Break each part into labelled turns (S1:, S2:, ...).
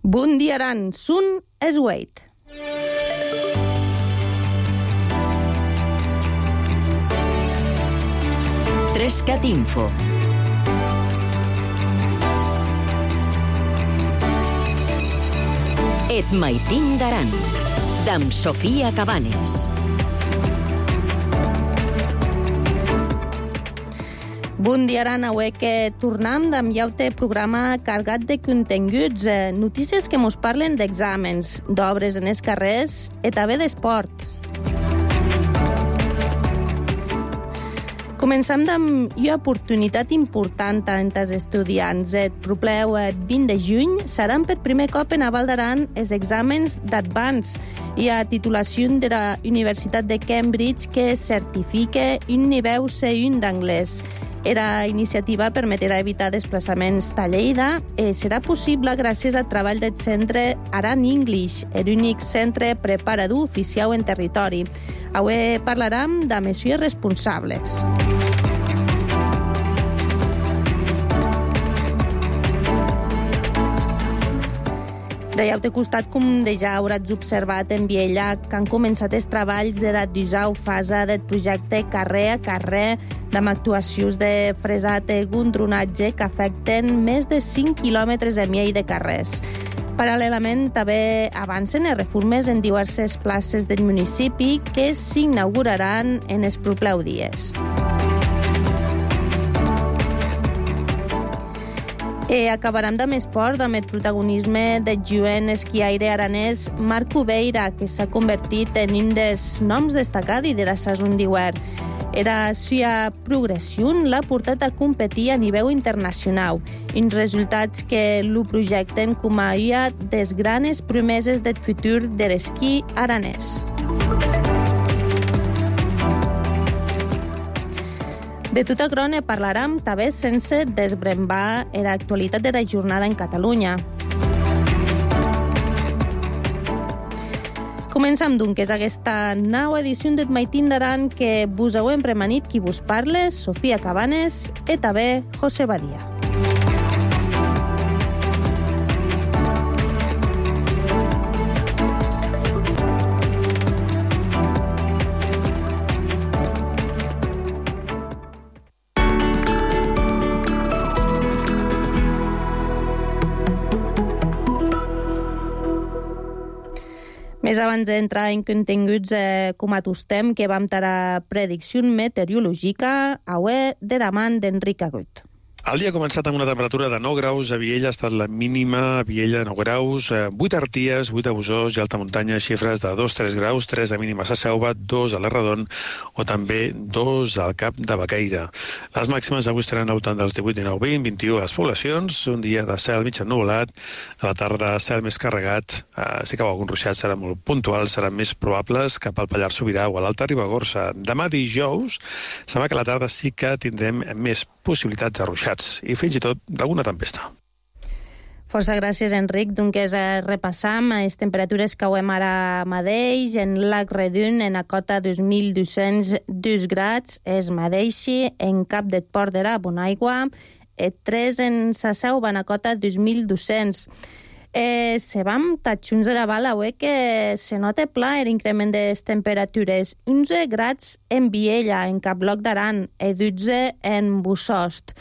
S1: Bundiaran sun esweit.
S2: Trescat Info. Et maitin d'aran, d'am Sofia Cabanes.
S1: Bon dia, Aran. Avui que tornem amb llaute programa cargat de continguts, notícies que mos parlen d'exàmens, d'obres en els carrers i també d'esport. Començam amb una oportunitat important entre els estudiants. El proper 20 de juny seran per primer cop en Val d'Aran els exàmens d'Advance i a titulació de la Universitat de Cambridge que certifica un nivell C1 d'anglès. Era iniciativa permetrà evitar desplaçaments a Lleida i serà possible gràcies al treball del centre Aran English, l'únic centre preparador oficial en territori. Avui parlarem de mesures responsables. De llaute costat, com ja hauràs observat en Viella, que han començat els treballs de la 10a fase del projecte Carrer a Carrer, amb actuacions de fresat i gondronatge que afecten més de 5 quilòmetres i mig de carrers. Paral·lelament, també avancen les reformes en diverses places del municipi que s'inauguraran en els propers dies. Acabarem amb esport, amb el protagonisme del jovent esquiaire aranès Marc Ubeira, que s'ha convertit en un dels noms destacats de la saison d'hivern. Era seva progressió l'ha portat a competir a nivell internacional, uns resultats que lo projecten com a una de les grans promeses del futur de l'esquí aranès. De tota crona parlarem també sense desbrembar l'actualitat de la jornada en Catalunya. Comencem, doncs, aquesta nova edició del Maitin d'Aran que vos hem premanit qui vos parla, Sofia Cabanes i també José Badia. Més abans d'entrar en continguts com acostem, que vam tenir predicció meteorològica, avui de la mà d'Enric Agut.
S3: El dia ha començat amb una temperatura de 9 graus, a Viella ha estat la mínima, a Viella de 9 graus, 8 a Arties, 8 a Busós i alta muntanya, xifres de 2-3 graus, 3 de mínimes a Selva, 2 a l'Erradon o també 2 al Cap de Baqueira. Les màximes avui estaran al voltant dels 18, 19, 20, 21 a les poblacions, un dia de cel mig ennuvolat, a la tarda cel més carregat, si cau algun ruixat serà molt puntual, seran més probables cap al Pallars Sobirà o a l'Alta Ribagorça. Demà dijous, sembla que a la tarda sí que tindrem més possibilitats de ruixats i fins i tot d'alguna tempesta.
S1: Força gràcies, Enric. Doncs repassam les temperatures que hem ara mateix. En Lac Redun, en a cota 2.202 grads, és mateixi en Cap del Port d'Era, Bonaigua, 3 en sa Seu, en a cota 2.200. Se vam tatxuns de la bala, que se nota pla l'increment de les temperatures. 11 grads en Viella, en Caploc d'Aran, i 12 en Bussost.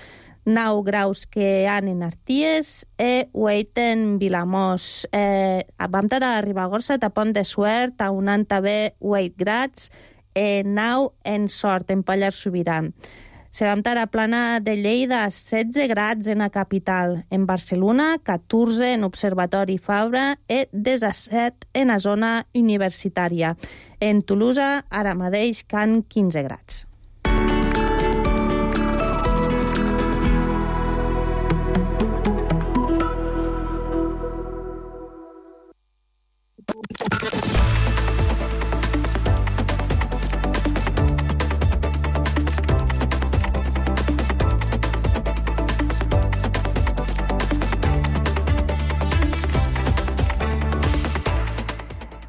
S1: 9 graus que hi ha en Arties i 8 en Vilamós. Vam tenir a Ribagorça, a Pont de Suert, a un també 8 grads, i 9 en Sort, en Pallars Sobirà. Se vam tenir a Plana de Lleida 16 grads en la capital, en Barcelona 14 en Observatori Fabra i 17 en la zona universitària. En Tolosa ara mateix can 15 grads.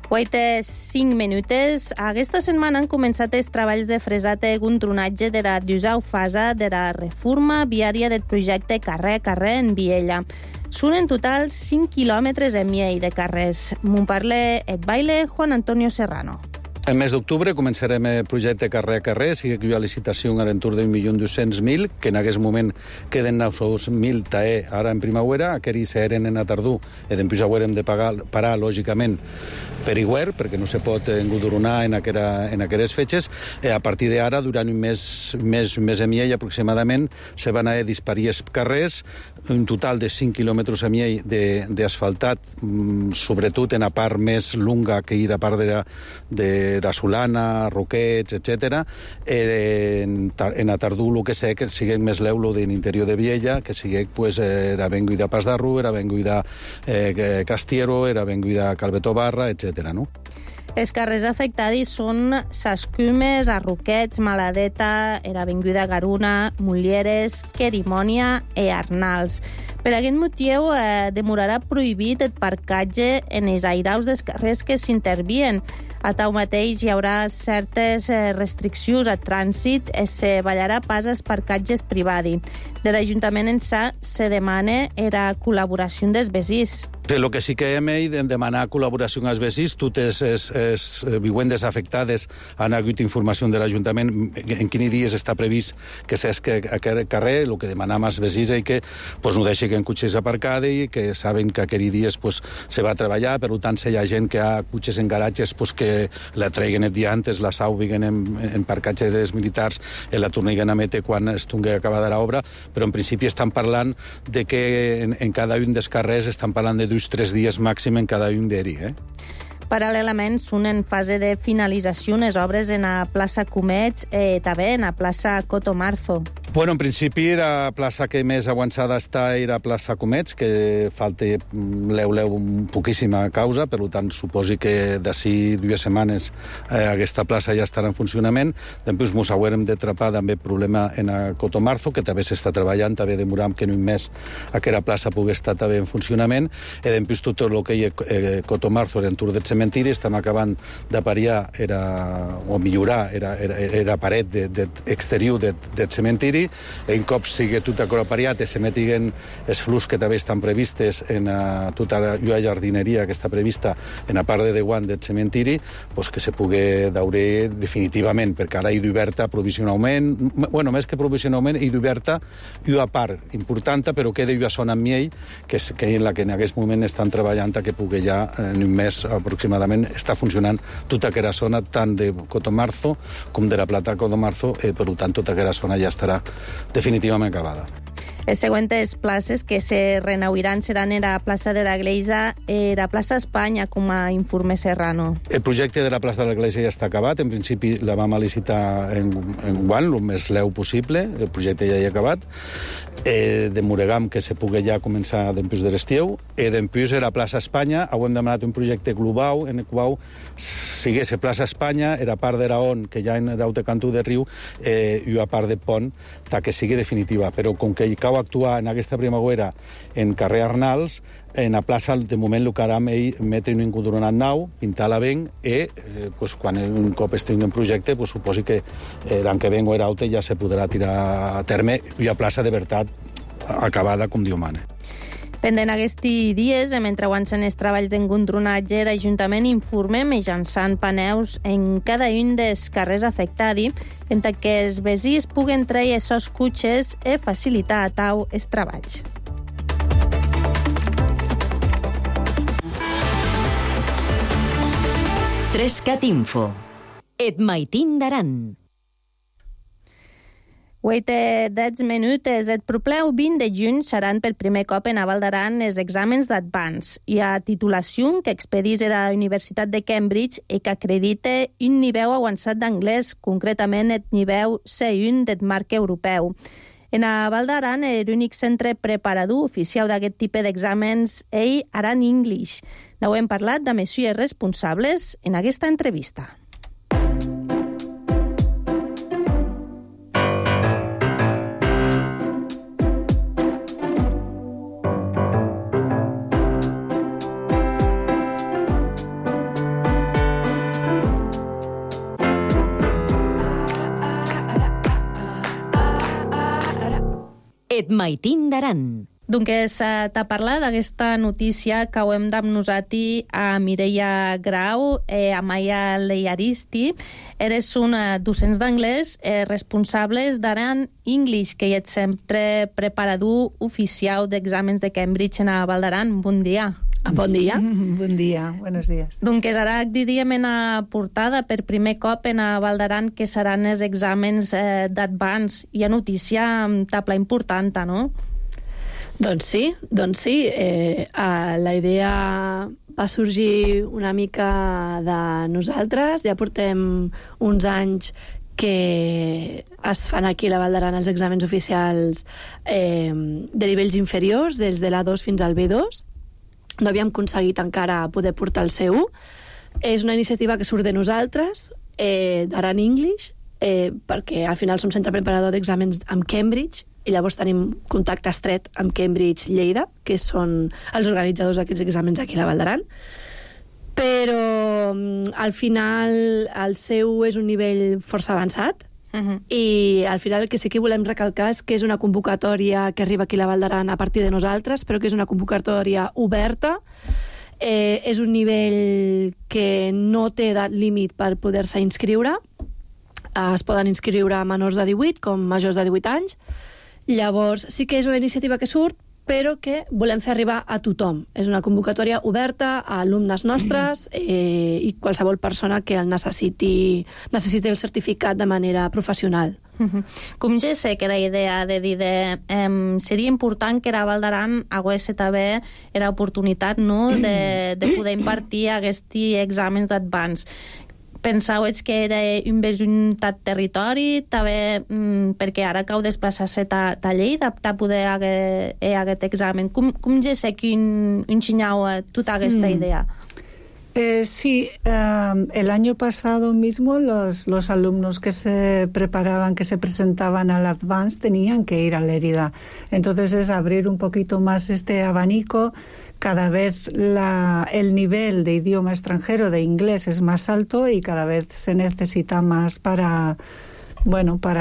S1: Guaita 5 minutes. Aquesta setmana han començat els treballs de fresat i gondronatge de la 10a fase de la reforma viària del projecte Carrer a Carrer en Viella. Són en total 5 quilòmetres i mig de carrers. M'ho parla et baile Juan Antonio Serrano.
S4: En mes d'octubre començarem el projecte carrer a carrer, sigui que hi ha licitació a l'entorn d'1.200.000, que en aquest moment queden 900.000 tae ara en primavera, aquells s'eren en a tardor, i després haurem de parar, lògicament, per igual, perquè no se pot engudronar en aquelles fetges. A partir d'ara, durant un mes i mig aproximadament, se van a disparir els carrers, un total de 5 quilòmetres i mig d'asfaltat, sobretot en la part més lunga, que hi ha la part de la Solana, Roquets, etc. En a tardor, el que sé, que sigui més l'eulo de l'interior de Viella, que sigui, pues, era venguda Pas d'Arru, era venguda Castiero, era venguda Calvetó Barra, etc. No?
S1: Els carrers afectats són Sascumes, Arroquets, Maladeta, era Avinguda Garuna, Mulieres, Querimònia i Arnals. Per aquest motiu, demorarà prohibit el parcatge en els airaus dels carrers que s'intervien. A tau mateix hi haurà certes restriccions a trànsit i se ballarà pas als parcatges privats. De l'Ajuntament en se demana la col·laboració dels vecins.
S4: El que sí que hem de demanar col·laboració als vecins, totes les vivendes afectades han hagut informació de l'Ajuntament en quins dies està previst que s'esqui aquest carrer. El que demanam als vecins és que no deixin cotxes aparcats i que saben que aquells dies se va treballar, per tant, si hi ha gent que ha cotxes en garatges, que la traiguen el dia antes, la saubiguen en parcatge dels militars i la torniguen a metre quan estigui acabada l'obra, però en principi estan parlant de que en cada un dels carrers estan parlant de 2-3 dies màxim en cada un d'ells.
S1: Paral·lelament, són en fase de finalització les obres en la plaça Comets i també en la plaça Cotomarzo.
S4: Bueno, en principi la plaça que més avançada està era la plaça Comets, que falta poquíssima causa, per tant, suposi que d'ací 2 setmanes aquesta plaça ja estarà en funcionament. Després ens haurem de trapar també problema en la Cotomarzo, que també s'està treballant, també demoram que en un mes aquella plaça pugui estar també en funcionament, i després tot el que hi ha Cotomarzo, l'entorn del cementiri, estem acabant de pariar o millorar la paret exterior del cementiri. En cop sigui tot pariat i se metiguen els flux que també estan previstes en tota la jardineria que està prevista en la part de Deguant del cementiri, que se pugui daure definitivament, perquè ara hi d'oberta provisionalment, més que provisionalment, hi d'oberta una part important, però queda una zona amb miell, que és en la que en aquest moment estan treballant que pugui ja en un mes aproximadament està funcionant tota aquella zona, tant de Cotomarzo com de la Plata Cotomarzo, per tant tota aquella zona ja estarà definitivament acabada.
S1: Les següents places que se renauiran seran la plaça de la Gleiza i la plaça Espanya, com a informe Serrano.
S4: El projecte de la plaça de la Gleiza ja està acabat. En principi la vam licitar en guant, el més leu possible. El projecte ja hi ha acabat. Demorem que se pugui ja començar després de l'estiu. I després a la plaça Espanya hem demanat un projecte global en el qual sigués la plaça Espanya, era part de l'on, que ja en l'altre cantó de riu, i una part de pont, que sigui definitiva. Però com que hi cau actuar en aquesta primavera en carrer Arnals, en la plaça, de moment, el que harà metre un encodronat nou, pintar-la ben, i quan un cop estigui en projecte, suposi que l'any que vengo era alta ja se podrà tirar a terme i a plaça de veritat acabada, com Déu mana.
S1: Pendent aquests dies, mentre avancen els treballs d'engondronatge, l'Ajuntament informa mitjançant paneus en cada un dels carrers afectats, en que els vecins puguen treure els seus cotxes i facilitar a tau els treballs.
S2: Trescat Info. Et maitin d'Aran.
S1: 10 minuts. El proper 20 de juny seran per primer cop en Val d'Aran els exàmens d'Advance i a titulació que expedís a la Universitat de Cambridge i que acredita un nivell avançat d'anglès, concretament el nivell C1 del marc europeu. En Val d'Aran, l'únic centre preparador oficial d'aquest tipus d'exàmens és Aran English. N'hem parlat de messieurs responsables en aquesta entrevista.
S2: Et maitin d'Aran.
S1: Doncs t'ha parlat d'aquesta notícia que ho hem d'amnosati a Mireia Grau, a Maya Leiaristi. Eres una docents d'anglès responsables d'Aran English, que hi ets sempre preparador oficial d'exàmens de Cambridge en a Val d'Aran. Bon dia.
S5: Bon dia.
S6: Bon dia, buenos días.
S1: Doncs ara diríem en a portada per primer cop en a Val d'Aran que seran els exàmens d'advance. Hi ha notícia amb tabla important, no?
S5: Doncs sí. La idea va sorgir una mica de nosaltres. Ja portem uns anys que es fan aquí a la Val d'Aran els exàmens oficials de nivells inferiors, des de l'A2 fins al B2. No havíem aconseguit encara poder portar el C1. És una iniciativa que surt de nosaltres, d'Aran English, perquè al final som centre preparador d'exàmens amb Cambridge, i llavors tenim contacte estret amb Cambridge Lleida, que són els organitzadors d'aquests exàmens aquí a la Val d'Aran. Però al final el seu és un nivell força avançat, i al final el que sí que volem recalcar és que és una convocatòria que arriba aquí a la Val d'Aran a partir de nosaltres, però que és una convocatòria oberta. És un nivell que no té edat límit per poder-se inscriure. Es poden inscriure menors de 18 com majors de 18 anys. Llavors, sí que és una iniciativa que surt, però que volem fer arribar a tothom. És una convocatòria oberta a alumnes nostres i qualsevol persona que el necessiti el certificat de manera professional.
S1: Com ja sé que la idea de dir seria important que la Val d'Aran hagués també l'oportunitat de poder impartir aquests exàmens d'advance. Pensau que era inversionat territori, també perquè ara cau desplaçar-se a Lleida per poder aquest examen. Com ja sé que ensenyau tota aquesta idea?
S6: Sí, el año pasado mismo los alumnos que se preparaban, que se presentaban al Advance, tenían que ir a Lérida. Entonces es abrir un poquito más este abanico. Cada vez el nivel de idioma extranjero, de inglés, es más alto y cada vez se necesita más para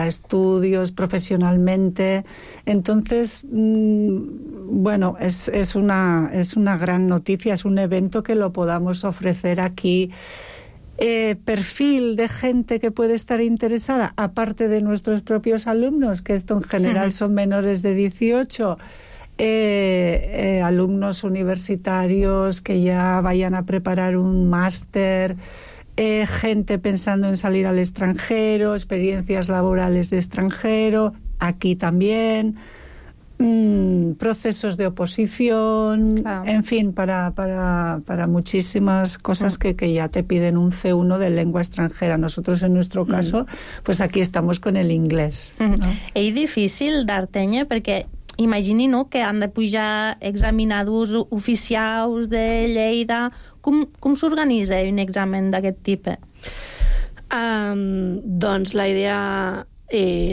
S6: estudios, profesionalmente. Entonces, es una gran noticia, es un evento que lo podamos ofrecer aquí. Perfil de gente que puede estar interesada, aparte de nuestros propios alumnos, que esto en general son menores de 18, alumnos universitarios que ya vayan a preparar un máster, gente pensando en salir al extranjero, experiencias laborales de extranjero, aquí también, procesos de oposición, claro. En fin, para muchísimas cosas que ya te piden un C1 de lengua extranjera. Nosotros, en nuestro caso, pues aquí estamos con el inglés. ¿No?
S1: És difícil d'Artenya perquè imagini que han de pujar examinadors oficials de Lleida. Com s'organitza un examen d'aquest tipus?
S5: Doncs la idea...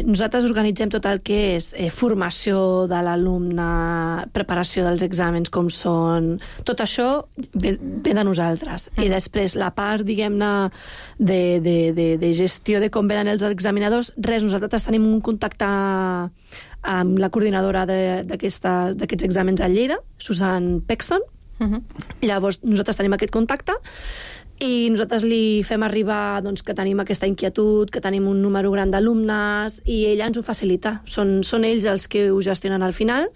S5: nosaltres organitzem tot el que és formació de l'alumne, preparació dels exàmens, com són... Tot això ve de nosaltres. I després la part, diguem-ne, de gestió de com venen els examinadors, nosaltres tenim un contacte amb la coordinadora d'aquests exàmens a Lleida, Susan Pexton. Llavors nosaltres tenim aquest contacte i nosaltres li fem arribar que tenim aquesta inquietud, que tenim un número gran d'alumnes, i ella ens ho facilita. Són ells els que ho gestionen al final.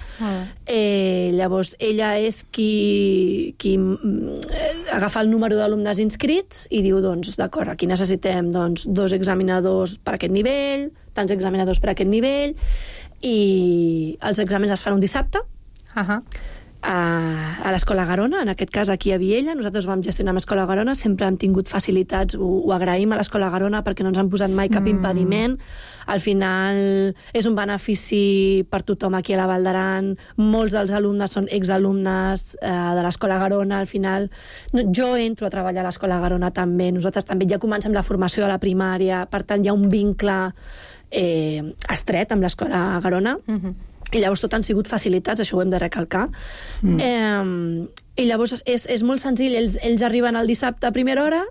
S5: Llavors ella és qui agafa el número d'alumnes inscrits i diu, d'acord, aquí necessitem 2 examinadors per aquest nivell, tants examinadors per aquest nivell, i els exàmens es fan un dissabte a l'Escola Garona, en aquest cas aquí a Viella. Nosaltres vam gestionar amb l'Escola Garona, sempre hem tingut facilitats, ho agraïm a l'Escola Garona perquè no ens han posat mai cap impediment. Al final és un benefici per tothom aquí a la Val d'Aran. Molts dels alumnes són exalumnes de l'Escola Garona. Al final jo entro a treballar a l'Escola Garona també, nosaltres també ja comencem la formació de la primària, per tant hi ha un vincle estret amb l'Escola Garona. I llavors tot han sigut facilitats, això ho hem de recalcar. I llavors és molt senzill, ells arriben el dissabte a primera hora,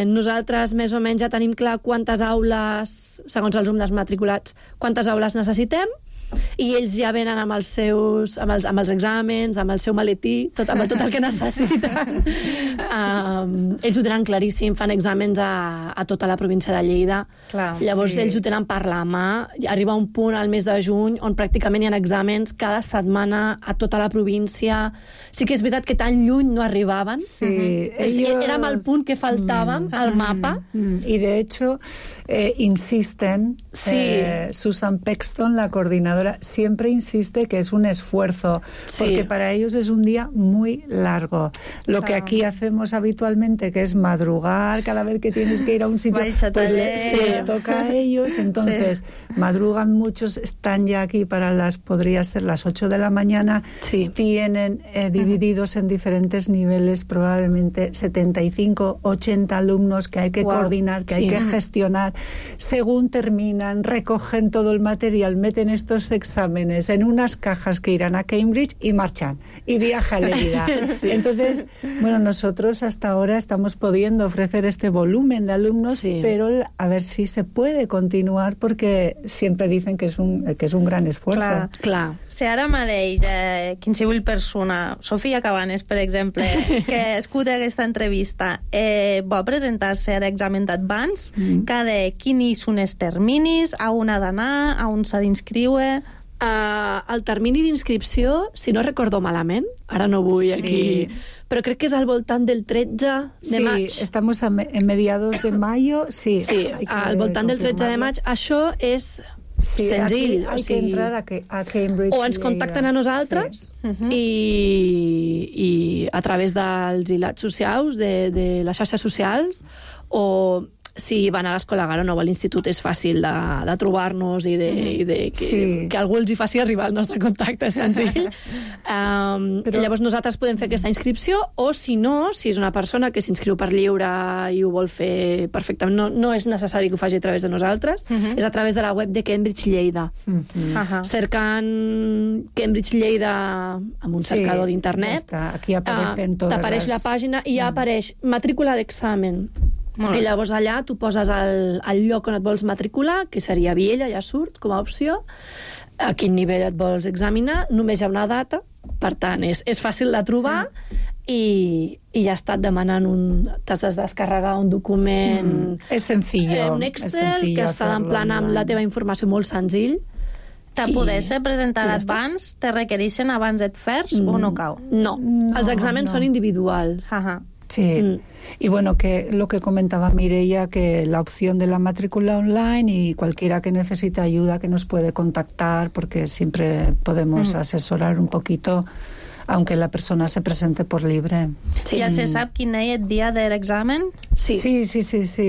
S5: nosaltres més o menys ja tenim clar quantes aules, segons els alumnes matriculats, quantes aules necessitem, i ells ja venen amb els seus, amb els exàmens, amb el seu maletí, amb tot el que necessiten. Ells ho tenen claríssim, fan exàmens a tota la província de Lleida.
S1: Clar,
S5: llavors ells ho tenen per la mà. Arriba un punt al mes de juny on pràcticament hi ha exàmens cada setmana a tota la província. Sí que és veritat que tan lluny no arribaven.
S6: Sí,
S5: Érem al punt que faltàvem al mapa.
S6: Y de hecho insisten, Susan Pexton, la coordinadora, siempre insiste que es un esfuerzo, porque para ellos es un día muy largo. Lo que aquí hacemos habitualmente, que es madrugar cada vez que tienes que ir a un sitio, pues les toca a ellos, entonces madrugan muchos, están ya aquí podría ser las 8 de la mañana, tienen divididos en diferentes niveles, probablemente 75, 80 alumnos que hay que coordinar, que hay que gestionar. Según terminan, recogen todo el material, meten estos exámenes en unas cajas que irán a Cambridge y marchan, y viaja a Lérida. Entonces, bueno, nosotros hasta ahora estamos pudiendo ofrecer este volumen de alumnos, pero a ver si se puede continuar, porque siempre dicen que es un gran esfuerzo.
S5: Clar.
S1: Si ara mateix qualsevol persona, Sofia Cabanes, per exemple, que escuta aquesta entrevista, vol presentar-se a l'examen d'Advance, quins són els terminis, a on ha d'anar, a on s'ha d'inscriure?
S5: El termini d'inscripció, si no recordo malament, ara no vull aquí, però crec que és al voltant del 13 de maig.
S6: Sí, estamos en mediados de mayo, sí.
S5: Sí, al voltant del 13 de maig. Això és senzill.
S6: Hay que entrar a Cambridge.
S5: O ens contacten a nosaltres i a través dels ilats socials, de les xarxes socials, o si van a l'Escola Garona o a l'institut és fàcil de trobar-nos i que algú els hi faci arribar el nostre contacte, és senzill. Llavors nosaltres podem fer aquesta inscripció, o si no, si és una persona que s'inscriu per lliure i ho vol fer perfectament, no és necessari que ho faci a través de nosaltres, és a través de la web de Cambridge Lleida. Cercant Cambridge Lleida amb un cercador d'internet, t'apareix la pàgina i ja apareix matrícula d'examen. I llavors allà tu poses el lloc on et vols matricular, que seria Viella, ja surt com a opció, a quin nivell et vols examinar, només hi ha una data, per tant és fàcil de trobar, i ja està demanant t'has de descarregar un document,
S6: és sencillo,
S5: un Excel que està d'emplenar amb la teva informació, molt senzill.
S1: De poder-se presentar a Advance, te requereixen abans et fers o no cau?
S5: No, els exàmens són individuals.
S6: Sí, y bueno, que lo que comentaba Mireia, que la opción de la matrícula online, y cualquiera que necesite ayuda que nos puede contactar, porque siempre podemos asesorar un poquito, aunque la persona se presente por libre.
S1: ¿Ya se sabe quién es el día del examen?
S6: Sí,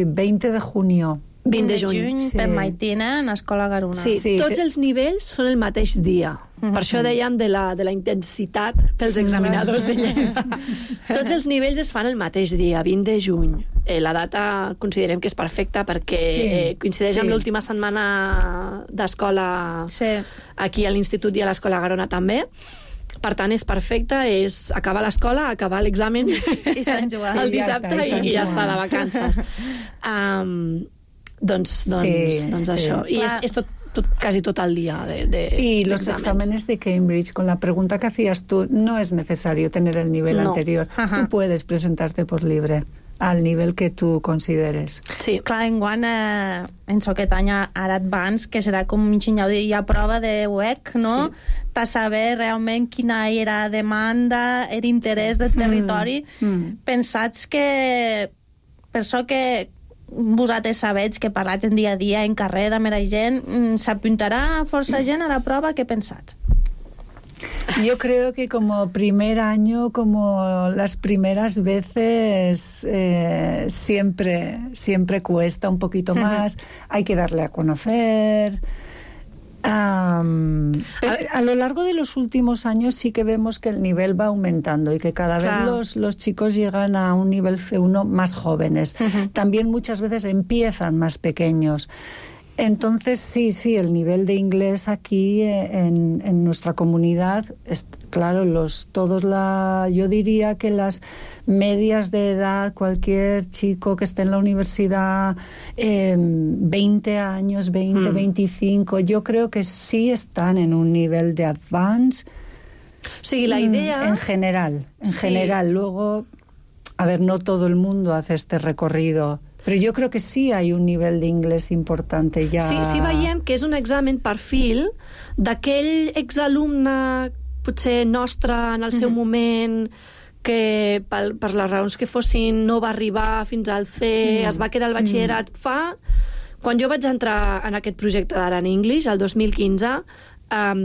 S6: 20 de junio.
S5: 20 de juny.
S1: Per Maitina, en l'Escola Garona.
S5: Sí, tots els nivells són el mateix dia. Per això dèiem de la intensitat pels examinadors de Lleida. Tots els nivells es fan el mateix dia, 20 de juny. La data considerem que és perfecta perquè coincideix amb l'última setmana d'escola aquí a l'Institut i a l'Escola Garona també. Per tant, és perfecta, és acabar l'escola, acabar l'examen
S1: i Sant Joan.
S5: El dissabte i ja està de vacances. Doncs això. I és casi tot el día
S6: y los exámenes de Cambridge, con la pregunta que hacías tú, no es necesario tener el nivel anterior. Tú puedes presentarte por libre al nivell que tu consideres.
S1: Sí, clar, enguany en aquest any ara Advance, que serà com hi ha prova de UEC, no? Per saber realment quina era la demanda, l'interès del territori. Pensats que per això que vosaltres sabeu que parlats en dia a dia en carrer de mera gent, s'apuntarà força gent a la prova? Què pensats?
S6: Yo creo que como primer año, como las primeras veces, siempre cuesta un poquito más, hay que darle a conocer. A lo largo de los últimos años sí que vemos que el nivel va aumentando y que cada vez los chicos llegan a un nivel C1 más jóvenes. También muchas veces empiezan más pequeños. Entonces, sí, el nivel de inglés aquí en nuestra comunidad, claro, yo diría que las medias de edad, cualquier chico que esté en la universidad, 20 años, 25, yo creo que sí están en un nivel de advance.
S5: Sí, la idea...
S6: En general. Luego, a ver, no todo el mundo hace este recorrido, però jo crec que sí hi ha un nivell d'inglès important ja...
S5: Sí, veiem que és un examen perfil d'aquell exalumne potser nostre en el seu moment, que per les raons que fossin no va arribar fins al C, es va quedar al batxillerat. Quan jo vaig entrar en aquest projecte d'Aran English, el 2015,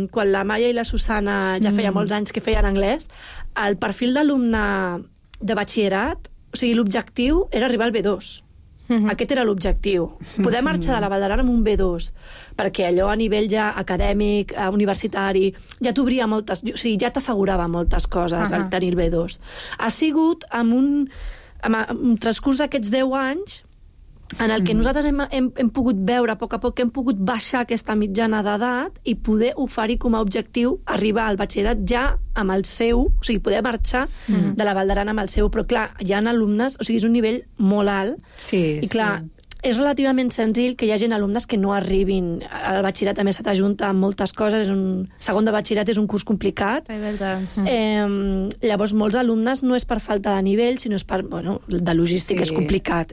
S5: quan la Maia i la Susana ja feia molts anys que feien anglès, el perfil d'alumne de batxillerat, o sigui, l'objectiu era arribar al B2. Aquest era l'objectiu. Poder marxar de la Vall d'Aran amb un B2, perquè allò a nivell ja acadèmic, universitari, ja t'obria moltes... O sigui, ja t'assegurava moltes coses al tenir el B2. Ha sigut amb un transcurs d'aquests 10 anys en el que nosaltres hem pogut veure a poc que hem pogut baixar aquesta mitjana d'edat i poder oferir com a objectiu arribar al batxillerat ja amb el seu, o sigui, poder marxar de la Vall d'Aran amb el seu, però clar, hi ha alumnes, o sigui, és un nivell molt alt, i clar, és relativament senzill que hi hagi alumnes que no arribin. El batxillerat també se t'ajunta amb moltes coses, segon de batxillerat és un curs complicat. Llavors, molts alumnes no és per falta de nivell, sinó és per, de logística, és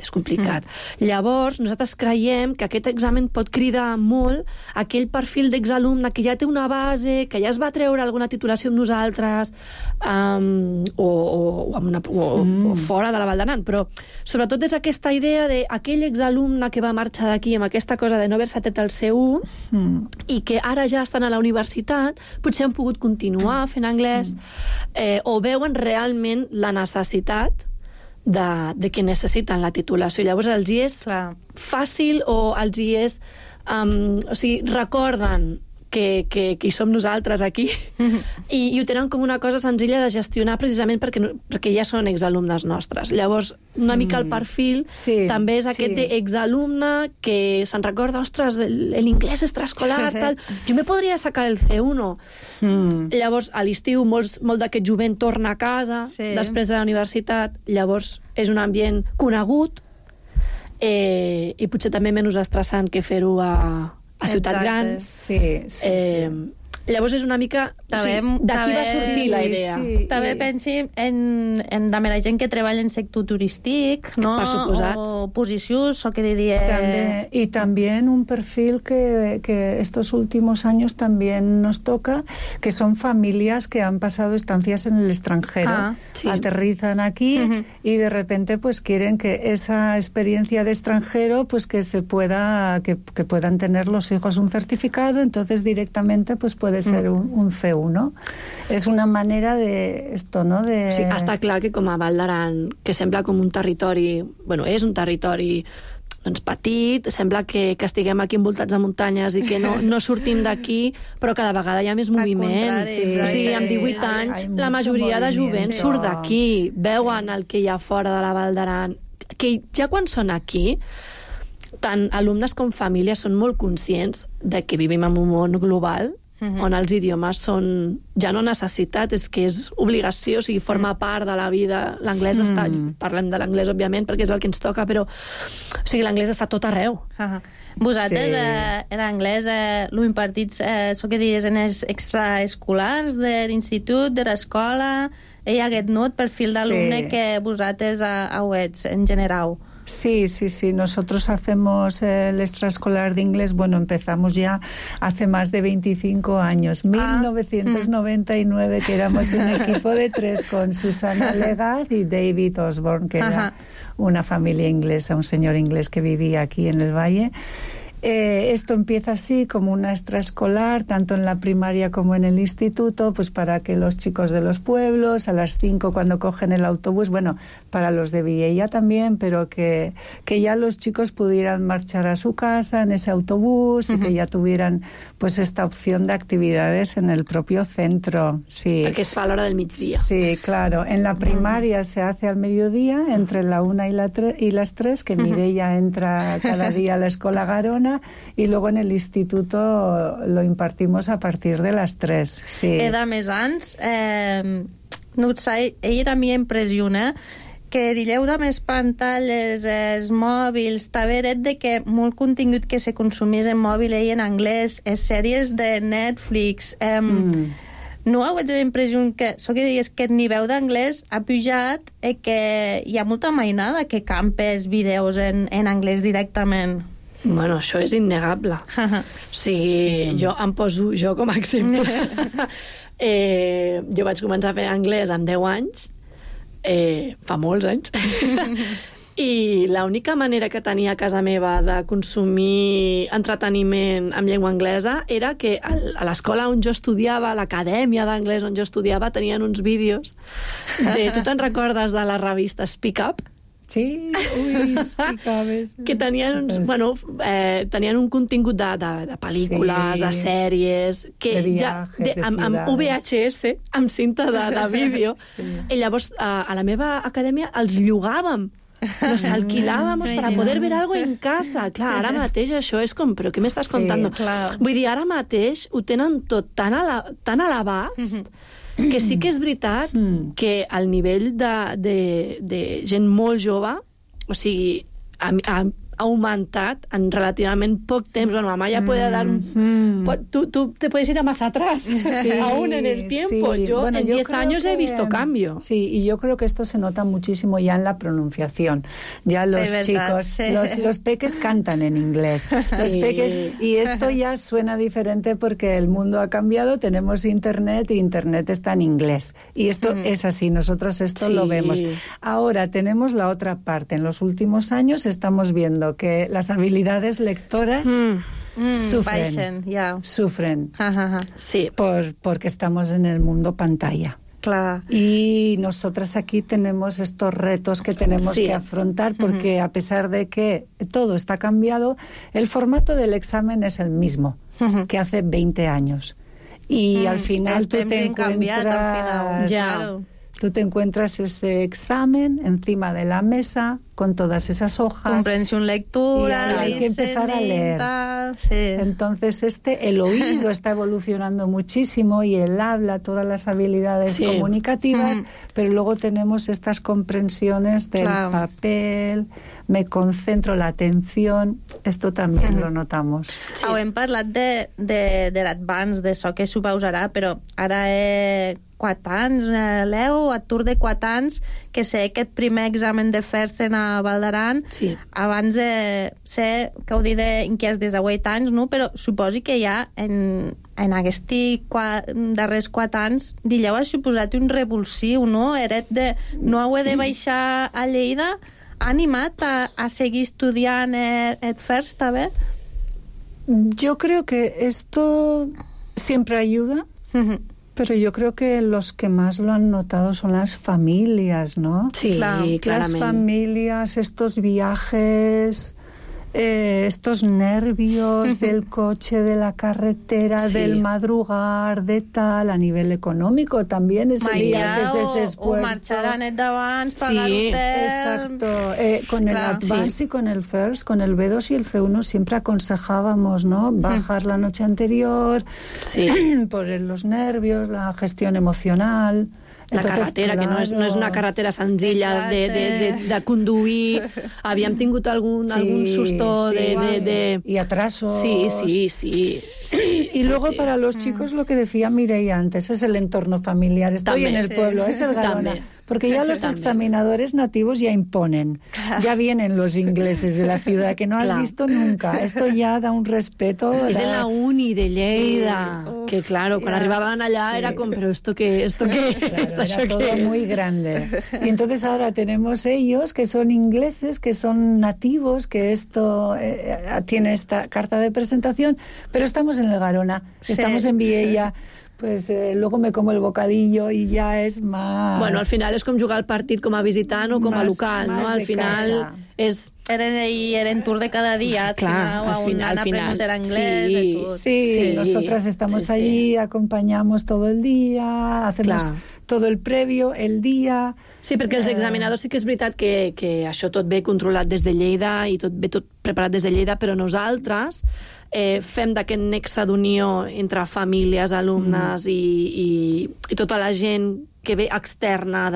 S5: complicat. Llavors, nosaltres creiem que aquest examen pot cridar molt aquell perfil d'exalumne que ja té una base, que ja es va treure alguna titulació amb nosaltres, o fora de la Vall d'Aran, però sobretot és aquesta idea d'aquell exalumne que va marxar d'aquí amb aquesta cosa de no haver-se tret el C1 i que ara ja estan a la universitat, potser han pogut continuar fent anglès, o veuen realment la necessitat de que necessiten la titulació. Llavors els hi és fàcil o els hi és... o sigui, recorden que hi som nosaltres aquí i ho tenen com una cosa senzilla de gestionar precisament perquè ja són exalumnes nostres. Llavors, una mica el perfil també és aquest exalumne que se'n recorda, ostres, l'inglès extraescolar, tal, jo me podria sacar el C1. Llavors, a l'estiu, molt d'aquest jovent torna a casa després de la universitat, llavors és un ambient conegut i potser també menys estressant que fer-ho a Ciutat Gran. Llavors és una mica... D'aquí va sortir la idea.
S1: També pensi en la gent que treballa en sector turístic, no?
S5: Per suposat.
S1: O posicions, o que diría...
S6: Y también un perfil que estos últimos años también nos toca, que son familias que han pasado estancias en el extranjero. Aterrizan aquí y de repente pues quieren que esa experiencia de extranjero pues que puedan tener los hijos un certificado, entonces directamente pues puede ser un C1. És una manera de... esto, no? De...
S5: Sí, està clar que com a Vall d'Aran, que sembla com un territori... Bueno, és un territori doncs, petit, sembla que estiguem aquí envoltats de muntanyes i que no sortim d'aquí, però cada vegada hi ha més moviment. O sigui, amb 18 anys, la majoria de jovent surt d'aquí, veuen el que hi ha fora de la Vall d'Aran, que ja quan són aquí, tant alumnes com famílies són molt conscients de que vivim en un món global, on els idiomes són ja no necessitat, és que és obligació, o sigui, forma part de la vida. L'anglès està... Parlem de l'anglès, òbviament, perquè és el que ens toca, però o sigui, l'anglès està tot arreu.
S1: Vosaltres, l'anglès, lo impartits, so que diries, en els extraescolars de l'institut, de l'escola, hi ha aquest perfil d'alumne que vosaltres ets, en general.
S6: Sí. Nosotros hacemos el extraescolar de inglés, empezamos ya hace más de 25 años. 1999, que éramos un equipo de 3 con Susana Legaz y David Osborne, que era una familia inglesa, un señor inglés que vivía aquí en el Valle. Esto empieza así como una extraescolar, tanto en la primaria como en el instituto, pues para que los chicos de los pueblos, a las 5 cuando cogen el autobús, para los de Viella también, pero que ya los chicos pudieran marchar a su casa en ese autobús y que ya tuvieran pues esta opción de actividades en el propio centro. Sí.
S5: Perquè es fa a l'hora del migdia.
S6: Sí, claro. En la primaria se hace al mediodía, entre la 1 y las 3, que Mireia entra cada día a la Escola Garona, mañana y luego en el instituto lo impartimos a partir de las 3. Sí.
S1: De més anys, no ho sé, ell a mi impressiona que dilleu de més pantalles, els mòbils, també eret de que molt contingut que se consumís en mòbil i en anglès, les sèries de Netflix... No heu la impressió que, so que deies que el nivell d'anglès ha pujat i que hi ha molta mainada que campes vídeos en anglès directament?
S5: Bueno, això és innegable. Sí, jo em poso jo com a exemple. Jo vaig començar a fer anglès amb 10 anys, fa molts anys, i l'única manera que tenia a casa meva de consumir entreteniment amb llengua anglesa era que a l'escola on jo estudiava, a l'acadèmia d'anglès on jo estudiava, tenien uns vídeos de... Tu te'n recordes de la revista Speak Up?
S6: Sí, Speak Up.
S5: Que tenien uns, tenien un contingut de pel·lícules, de sèries, que amb VHS, amb cinta de vídeo, i llavors a la meva acadèmia els llogàvem. Nos alquilábamos para poder ver algo en casa. Clar, ara mateix això és com, però què m'estàs contando? Vull dir, ara mateix ho tenen tot tan a l'abast que sí que és veritat que al nivell de gent molt jove, o sigui, ha aumentat en relativament poc temps. Bueno, mamá ya puede dar tú te puedes ir a más atrás, aún en el tiempo.
S6: Sí.
S5: Yo en 10 años he visto cambio.
S6: Sí, y yo creo que esto se nota muchísimo ya en la pronunciación. Ya los chicos, los peques cantan en inglés. Los peques, y esto ya suena diferente porque el mundo ha cambiado, tenemos internet y internet está en inglés. Y esto es así, nosotros esto lo vemos. Ahora tenemos la otra parte. En los últimos años estamos viendo que las habilidades lectoras sufren
S5: sí.
S6: porque estamos en el mundo pantalla.
S1: Claro.
S6: Y nosotras aquí tenemos estos retos que tenemos que afrontar porque a pesar de que todo está cambiado, el formato del examen es el mismo que hace 20 años. Y al final tú te encuentras... Tú te encuentras ese examen encima de la mesa con todas esas hojas.
S1: Comprensión lectura,
S6: hay que empezar a leer.
S1: Sí.
S6: Entonces el oído está evolucionando muchísimo y el habla, todas las habilidades comunicativas, pero luego tenemos estas comprensiones del papel, me concentro, la atención, esto también lo notamos.
S1: Sí. Hem parlat de l'advance, de so que suposarà, però ara 4 anys, Leo, atur de 4 anys, que sé que el primer examen de fer-se a Val d'Aran, abans sé que ho diré en què és des de 8 anys, no? Però suposi que ja en aquests darrers 4 anys dilleu ha suposat un revulsiu, no? Eret de no heu de baixar a Lleida, ha animat a seguir estudiant el FIRST, també?
S6: Yo creo que esto siempre ayuda, pero yo creo que los que más lo han notado son las familias, ¿no?
S5: Sí, claramente.
S6: Las familias, estos viajes, estos nervios del coche, de la carretera, del madrugar, de tal, a nivel económico también es ese esfuerzo.
S1: O marxar a net d'abans, pagar hotel...
S6: Exacto. Con el Advance y con el First, con el B2 y el C1 siempre aconsejábamos, ¿no? Bajar la noche anterior, por los nervios, la gestión emocional...
S5: La carretera, que no és una carretera senzilla de conduir. Havíem tingut algún susto
S6: y atraso.
S5: Sí.
S6: Y luego para los chicos lo que decía Mireia antes, es el entorno familiar. Estoy en el pueblo, es el Garona. Porque ya los examinadores nativos ya imponen. Ya vienen los ingleses de la ciudad, que no has visto nunca. Esto ya da un respeto.
S5: Es en la uni de Lleida. Que claro, cuando arribaban allá era como, pero ¿esto qué?
S6: Era todo muy grande. Y entonces ahora tenemos ellos que son ingleses, que son nativos, que esto tiene esta carta de presentación, pero estamos en el Garona, estamos en Viella. Pues luego me como el bocadillo y ya es más...
S5: Bueno, al final és com jugar el partit com a visitant o com a local, no? Al final és...
S1: Eren tour de cada dia, al final aprender anglès...
S6: Sí, nosotras estamos allí, acompañamos todo el día, hacemos todo el previo, el día...
S5: Sí, perquè els examinadors sí que és veritat que això tot ve controlat des de Lleida i tot ve tot preparat des de Lleida, però nosaltres fem d'aquest nexe d'unió entre famílies, alumnes i tota la gent que ve externa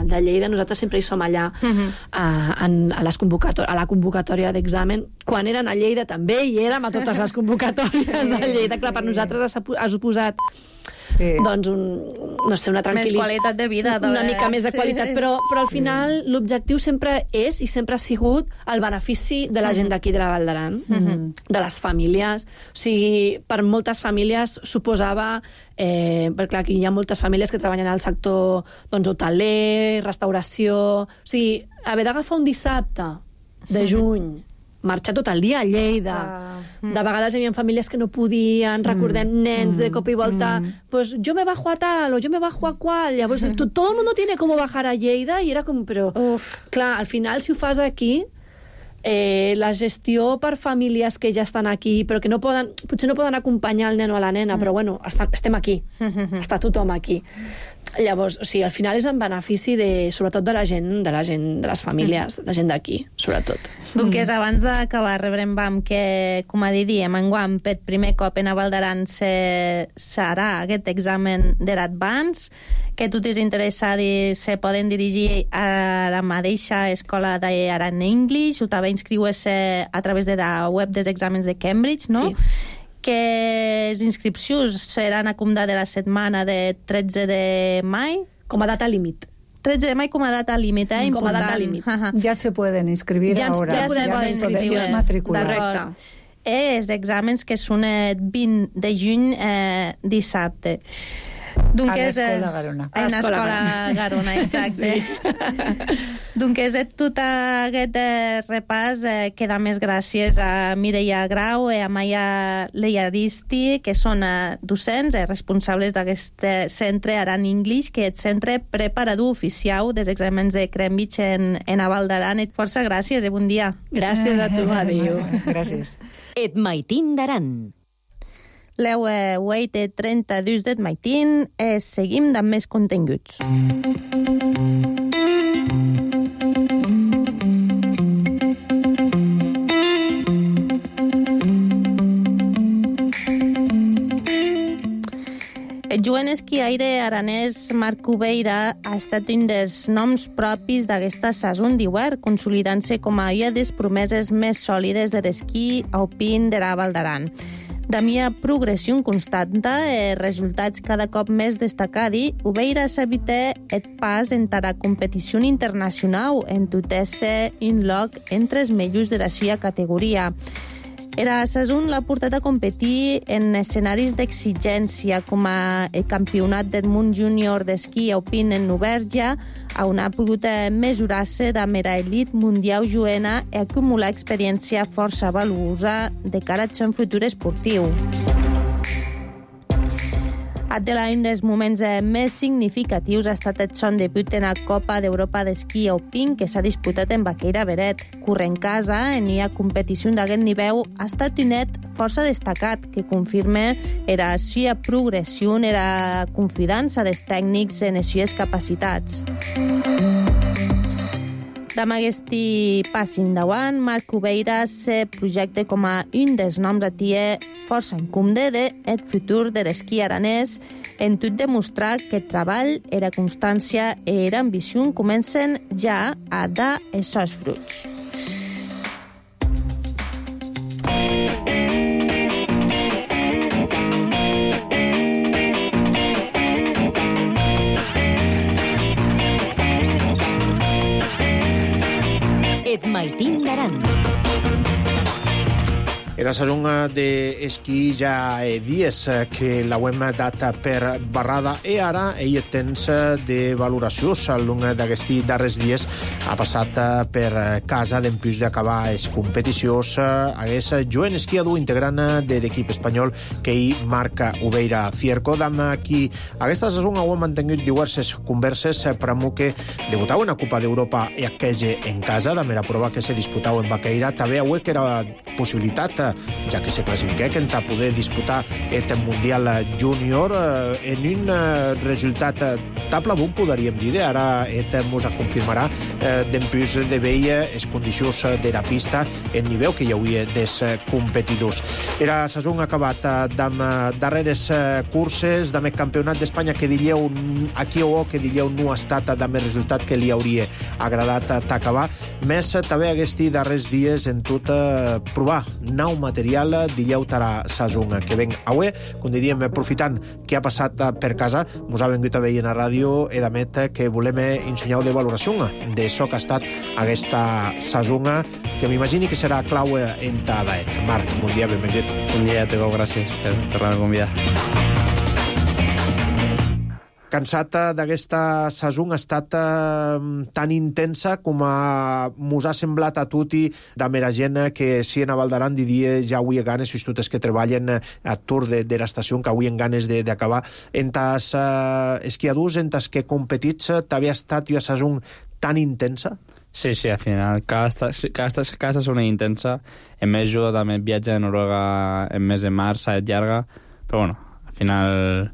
S5: de Lleida. Nosaltres sempre hi som allà a la convocatòria d'examen. Quan eren a Lleida també hi érem a totes les convocatòries de Lleida. Clar, per nosaltres ha suposat doncs una tranquil·litat.
S1: Més qualitat de vida.
S5: Una mica més de qualitat, però al final l'objectiu sempre és i sempre ha sigut el benefici de la gent d'aquí de la Val d'Aran, de les famílies. O sigui, per moltes famílies suposava, perquè clar, aquí hi ha moltes famílies que treballen al sector hoteler, restauració. O sigui, haver d'agafar un dissabte de juny, marxar tot el dia a Lleida. De vegades hi havia famílies que no podien, recordem nens de cop i volta, pues yo me bajo a tal o yo me bajo a cual. Llavors, todo el mundo tiene como bajar a Lleida i era com, però clar, al final si ho fas aquí, la gestió per famílies que ja estan aquí, però que potser no poden acompanyar el nen o la nena, però bueno, estem aquí, està tothom aquí. Llavors, o sigui, al final és en benefici sobretot de la gent, de les famílies, de la gent d'aquí, sobretot.
S1: Doncs abans d'acabar, Reverend Bam, que, com a diem, enguany, per primer cop en Val d'Aran serà aquest examen de l'Advance, que tu t'és interessat i se poden dirigir a la mateixa escola d'Aran English, o també inscriure-se a través de la web dels exàmens de Cambridge, no? Sí. Que les inscripcions seran a comptar de la setmana de 13 de mai.
S5: Com a data límit.
S1: 13 de mai com a data límit, important.
S5: Com a data límit.
S6: Ya se pueden inscribir ahora.
S1: Ja se poden inscriure.
S6: Matricular.
S1: Els exàmens que són el 20 de juny, dissabte.
S6: A l'Escola Garona.
S1: A l'Escola Garona, exacte. Doncs és tot aquest repàs. Queda més gràcies a Mireia Grau i a Maia Leiaristi, que són docents responsables d'aquest centre Aran English, que és centre preparador oficial dels exàmens de Cambridge en Val d'Aran. Força gràcies i bon dia.
S5: Gràcies a tu, adéu.
S6: Gràcies.
S2: Et maitin d'Aran.
S1: L'heu 8:32 del matí. Seguim amb més continguts. El jovent esquiaire aranès Marc Ubeira ha estat un dels noms propis d'aquesta sason d'hivern, consolidant-se com a una de les promeses més sòlides de l'esquí alpin de la Val d'Aran. D'amia progressió constanta e resultats cada cop més destacadi, Ubeira s'evita et pas entre la competició internacional en tot-esse un lloc entre els millors de la seva categoria. Era sason l'ha portat a competir en escenaris d'exigència com a el Campionat del Món Júnior d'Esquí Alpin en Noverja, on ha pogut mesurar-se amb la elit mundial juena i acumular experiència força valuosa de cara al seu futur esportiu. Un dels moments més significatius ha estat el son debut en la Copa d'Europa d'Esquí Alpin que s'ha disputat en Baqueira Beret. Corrent casa, en la competició d'aquest nivell, ha estat un net força destacat que confirma la seva progressió i la confiança dels tècnics en les seves capacitats. Amb aquest pas endavant, Marc Ubeira se projecta com a un dels noms a tia força incomde del futur de l'esquí aranès, en tot demostrar que el treball, la constància i l'ambició comencen ja a dar els seus fruits.
S2: Et maitin d'Aran.
S7: Era sason d'esquí ja dies que l'hauem dat per barrada i ara ell temps de valoració al long d'aquests darrers dies ha passat per casa d'empús d'acabar les competicions hagués jovent esquiador integrant de l'equip espanyol que ell marca Ubeira Fierco, amb qui aquesta sason heu mantingut diverses converses per a que debutau en la Copa d'Europa i aquella en casa, amb la prova que se disputau en Baqueira, també heu que era possibilitat ja que se classifiquen a poder disputar el Mundial Júnior en un resultat tablabut, podríem dir, ara mos confirmarà dempús de veia les condicions de la pista en nivell que hi hauria des competidors. Era sessió acabat d'amb darreres curses, d'amb campionat d'Espanya que dilleu aquí o que dilleu no ha estat d'amb el resultat que li hauria agradat d'acabar, més també aquests darrers dies en tot provar nou material dilleu tara sessió que ven avui, com diríem, aprofitant que ha passat per casa, mos ha vengut a veure en la ràdio i d'amet que volem ensenyar de valoració d'això que ha estat aquesta sessió que m'imagini que serà clau en tada. Marc, bon dia, benvingut.
S8: Bon dia, Tego, gràcies per la convidar.
S7: Cansat d'aquesta sessió ha estat tan intensa com mos ha semblat a tutti d'amb la gent que si en Valdaran diria ja avui ganes, si totes que treballen a tour de l'estació, que avui en ganes d'acabar. En tas esquiadors, en tas que competits, t'havia estat una sessió tan intensa?
S8: Sí, al final, cada sessió intensa. En més, jo també viatge a Noruega en mes de març, llarga, però bueno, al final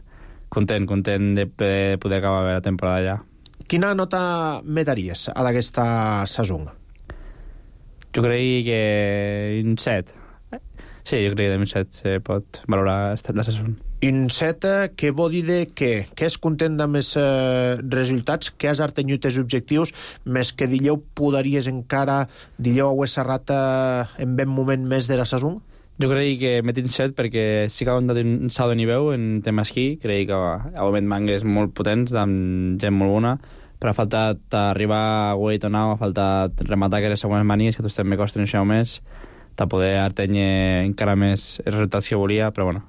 S8: content de poder acabar la temporada ja.
S7: Quina nota me daries a aquesta sessió?
S8: Jo crec que un 7. Sí, jo crec que un 7 se pot valorar la sessió.
S7: Un 7 que vol dir que és content amb els resultats, que has artenyut els objectius, més que dilleu podries encara, dilleu haver serrat en ben moment més de la sessió?
S8: Jo crec que m'he tingut 7 perquè sí que ha donat un salt de nivell en tema esquí. Crec que ha hagut mangues molt potents, amb gent molt bona, però ha faltat arribar a Weight on Now, ha faltat rematar aquelles següents manies, que tots també costen això més, de poder artenyer encara més els resultats que volia, però bueno,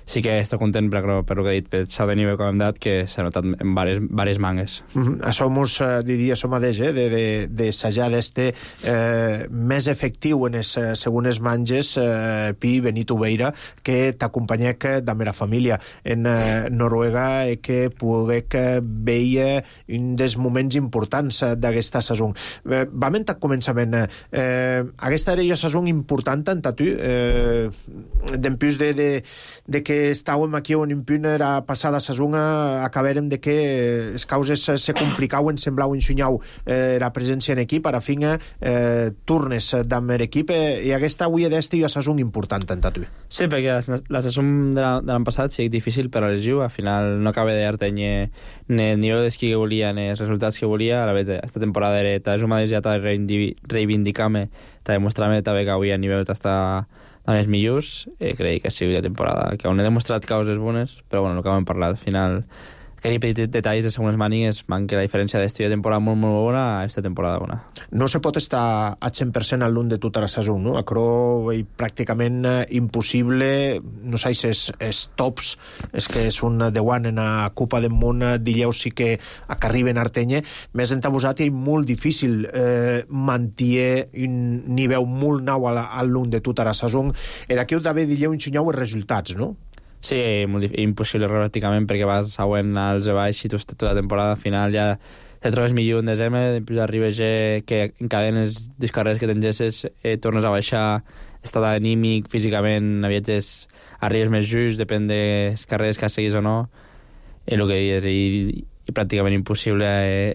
S8: sí que estic content per el que he dit, pel salt de nivell que hem dat, que s'ha notat en diverses mangues.
S7: Això mos diria això mateix, d'assajar d'este més efectiu en les segones manges, Pi Benito Beira, que t'acompanyec d'amb la família en Noruega i que poguec veia un dels moments importants d'aquesta sessió. Vam en començament. Aquesta era una sessió important en tu, dempús de que estàvem aquí on impune la passada sessió, acabàrem de que les causes se complicaven, semblaven ensenyau la presència en equip, ara fin turnes d'amb l'equip, i aquesta avui d'esta i una sessió important en tu.
S8: Sí, perquè la sessió de l'any passat sí que difícil per a l'estiu, al final no acaba d'artenyer ni el nivell d'esquí que volia ni els resultats que volia. A la vegada, aquesta temporada era jo mateix ja t'ha de reivindicar-me, t'ha de mostrar-me també que avui a nivell t'està a més millors. Crec que ha sigut la temporada que on he demostrat causes bones, però bueno, el que hem parlat, al final aquells petits detalls de segones mànigues fan que la diferència d'esta temporada molt bona a aquesta temporada bona.
S7: No se pot estar a 100% al lluny de tota la sessió, no? Acro és pràcticament impossible, no sé si els tops, és que és un de one en la Copa del Món, dilleu sí que arriben a Artenye, més entabosat i molt difícil mantenir un nivell molt nou al lluny de tota la sessió, i d'aquí d'haver dilleu ensenyau els resultats, no?
S8: Sí, impossible pràcticament perquè vas següent als de baix i tota la temporada al final ja te trobes millor en desembre, després arribes que encadenes les carreres que t'engesses, tornes a baixar, estat anímic, físicament, a viatges arribes més just, depèn de les carreres que has seguit o no, el que dius, i pràcticament impossible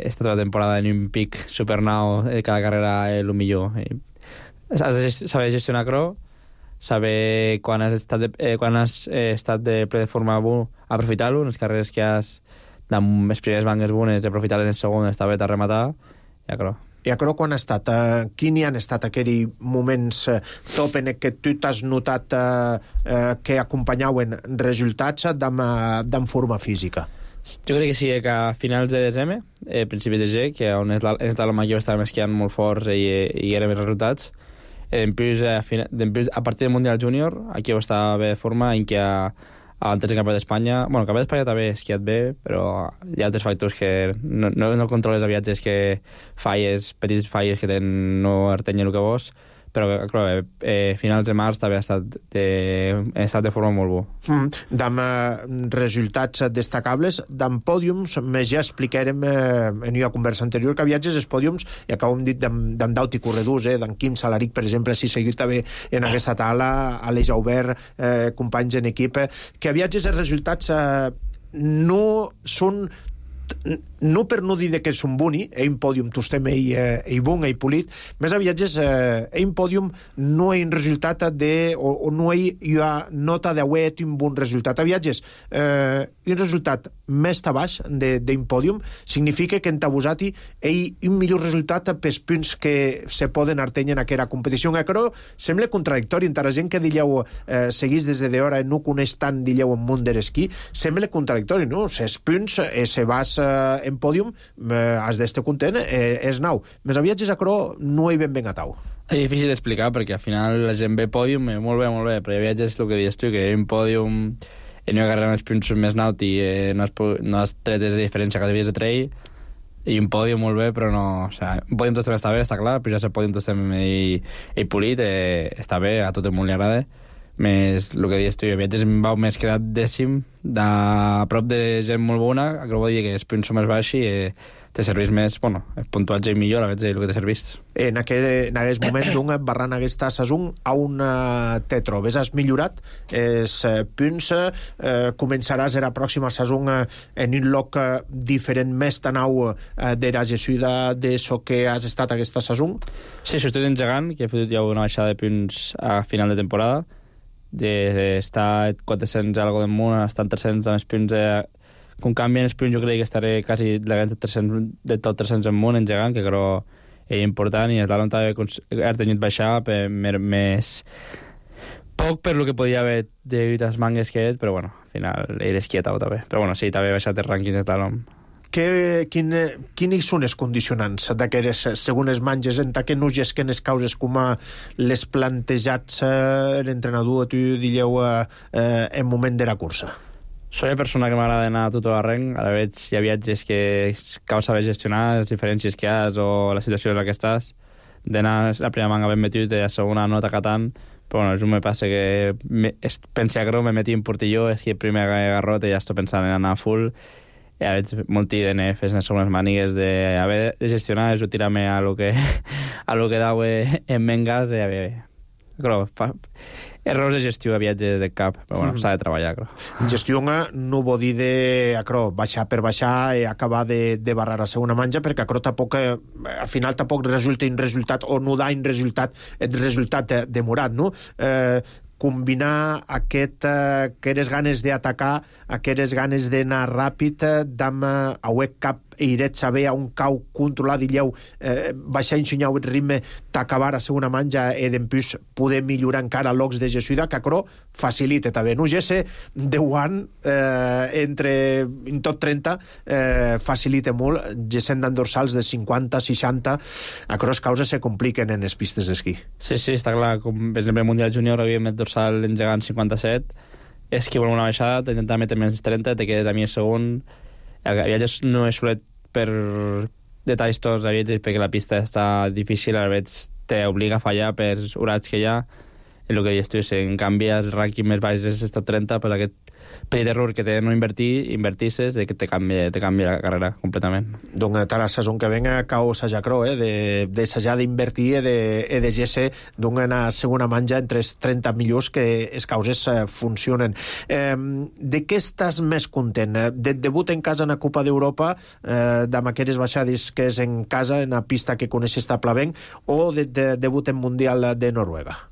S8: estar tota la temporada en un pic supernau, cada carrera el millor. Has de saber gestionar cro, saber quan has estat de ple de forma bo, aprofitar-lo, les carreres que has amb les primeres bangues bones, aprofitar-les en segon, està bé a rematar, ja crec.
S7: I a crec quan ha estat, quin hi han estat aquells moments top en què tu t'has notat que acompanyaven resultats d'en forma física?
S8: Jo crec que sí, que a finals de desembre, principis de gener, que on la major estàvem esquiant molt forts i eren els resultats. A partir del Mundial Júnior, aquí estava bé de forma en què antes del Campionat d'Espanya, bueno, el Campionat d'Espanya també he esquiat bé, però hi ha altres factors que no controles a viatges, que petits falles que no artenyen el que vols, però clar, finals de març també ha estat de forma molt bo.
S7: D'am resultats destacables, d'am pòdiums, més ja explicarem en una conversa anterior que viatges els pòdiums, i acabem dit d'am Daut i corredors, d'en Quim Salaric, per exemple, si seguit també en aquesta taula, Aleix Aubert, companys en equip, que viatges els resultats no són, no per no dir que és un boni, un pòdium tostem i bon, i polit, més a viatges un pòdium no hi ha un resultat o no hi ha nota d'auet un bon resultat. A viatges un resultat més baix d'un pòdium significa que en Tabusati hi ha un millor resultat pels punts que se poden artenir en aquesta competició. Però sembla contradictori entre la gent que dieu seguís des d'hora no coneix tant, dieu, en món de l'esquí, sembla contradictori, no? Els punts, se vas en pòdium, has d'estar content, és nou. Més a viatges a Cro no hi ben a tau.
S8: És difícil d'explicar perquè al final la gent ve pòdium, molt bé, però hi ha viatges, el que dius tu, que un pòdium no hi agarren els punts més naut i no has tret de diferència cada dies de trail, i un pòdium molt bé, però no... O sigui, un pòdium tostem està bé, està clar, però ja el pòdium tostem i polit, està bé, a tot el món li agrada. Més el que dius tu, viatges em vau més quedat dècim a prop de gent molt bona, que vol dir que els punts són més baixos i te serveix més, bueno, el puntuatge millor, a veure el que te serveix.
S7: En aquest moment, barrant aquesta saison, on te trobes? Has millorat els punts? Començaràs la pròxima saison en un lloc diferent, més tan au de la gessuda d'això que has estat aquesta saison?
S8: Sí, estic engegant, que he fet ja una baixada de punts a final de temporada, d'estar 400 algo de munt, estar en 300 amb els punts com canvien els punts, jo crec que estaré quasi de tot 300 en munt engegant, que crec és important, i l'Alon també ha tenit baixar més poc per lo que podia haver de les mangues que és, però bueno, al final era esquieta també, però bueno, sí, també ha baixat el rànquing de l'Alon.
S7: Quines són els condicionants d'aquestes segones manges en que no gesquen les causes com les plantejats l'entrenador, tu dieu, en moment de la cursa?
S8: Soy una persona que m'agrada anar a tot arreng, a la vegada hi ha viatges que cal saber gestionar les diferències que hi ha o la situació en la que estàs, d'anar la primera manga ben metut i la segona no t'acatant, però bueno, això me passa que pensi que me metí en Portilló, és que el primer garrot i ja estic pensant en anar full, i a veure, molt DNFs en les segones mànigues de gestionar, és tirar-me a lo que dau en mengas, i a veure, però errors de gestió a viatges de cap, però bueno, s'ha de treballar, crec.
S7: Gestió no vol dir de baixar per baixar i acabar de barrar la segona manja, perquè tampoc, al final tampoc resulta un resultat, o no da un resultat, el resultat demorat, no? Combinar aquestes ganes d'atacar, aquestes ganes d'anar ràpid, d'am auec cap iret saber a un cau controlar, dilleu, baixar ensenyar el ritme d'acabar a segona manja i d'empús poder millorar encara locs de gessuda, que acro facilita també. No gesse 10 anys en tot 30 facilita molt, gessent d'en dorsals de 50, 60, acro les causes se compliquen en les pistes d'esquí.
S8: Sí, està clar, com per exemple el Mundial Júnior havíem met dorsal engegant 57, esquí vol una baixada, t'intentar metre menys 30, te quedes a mi el segon. El viatges no és solet per detalls tots, perquè la pista està difícil, a vegades t'obliga a fallar per horats que hi ha, i el que dius tu, si en canvi el rànquing més baix és el top 30, pues aquest petit error que té no invertisses, que te canvia la carrera completament.
S7: Donc, la saison que venga cau s'haja cro, de s'haja d'invertir i de gesse en la segona manja entre els 30 millors que les causes funcionen. De què estàs més content? De debut en casa en la Copa d'Europa, d'amb aquestes baixades que és en casa, en la pista que coneixes tablavenc, o de debut en Mundial de Noruega?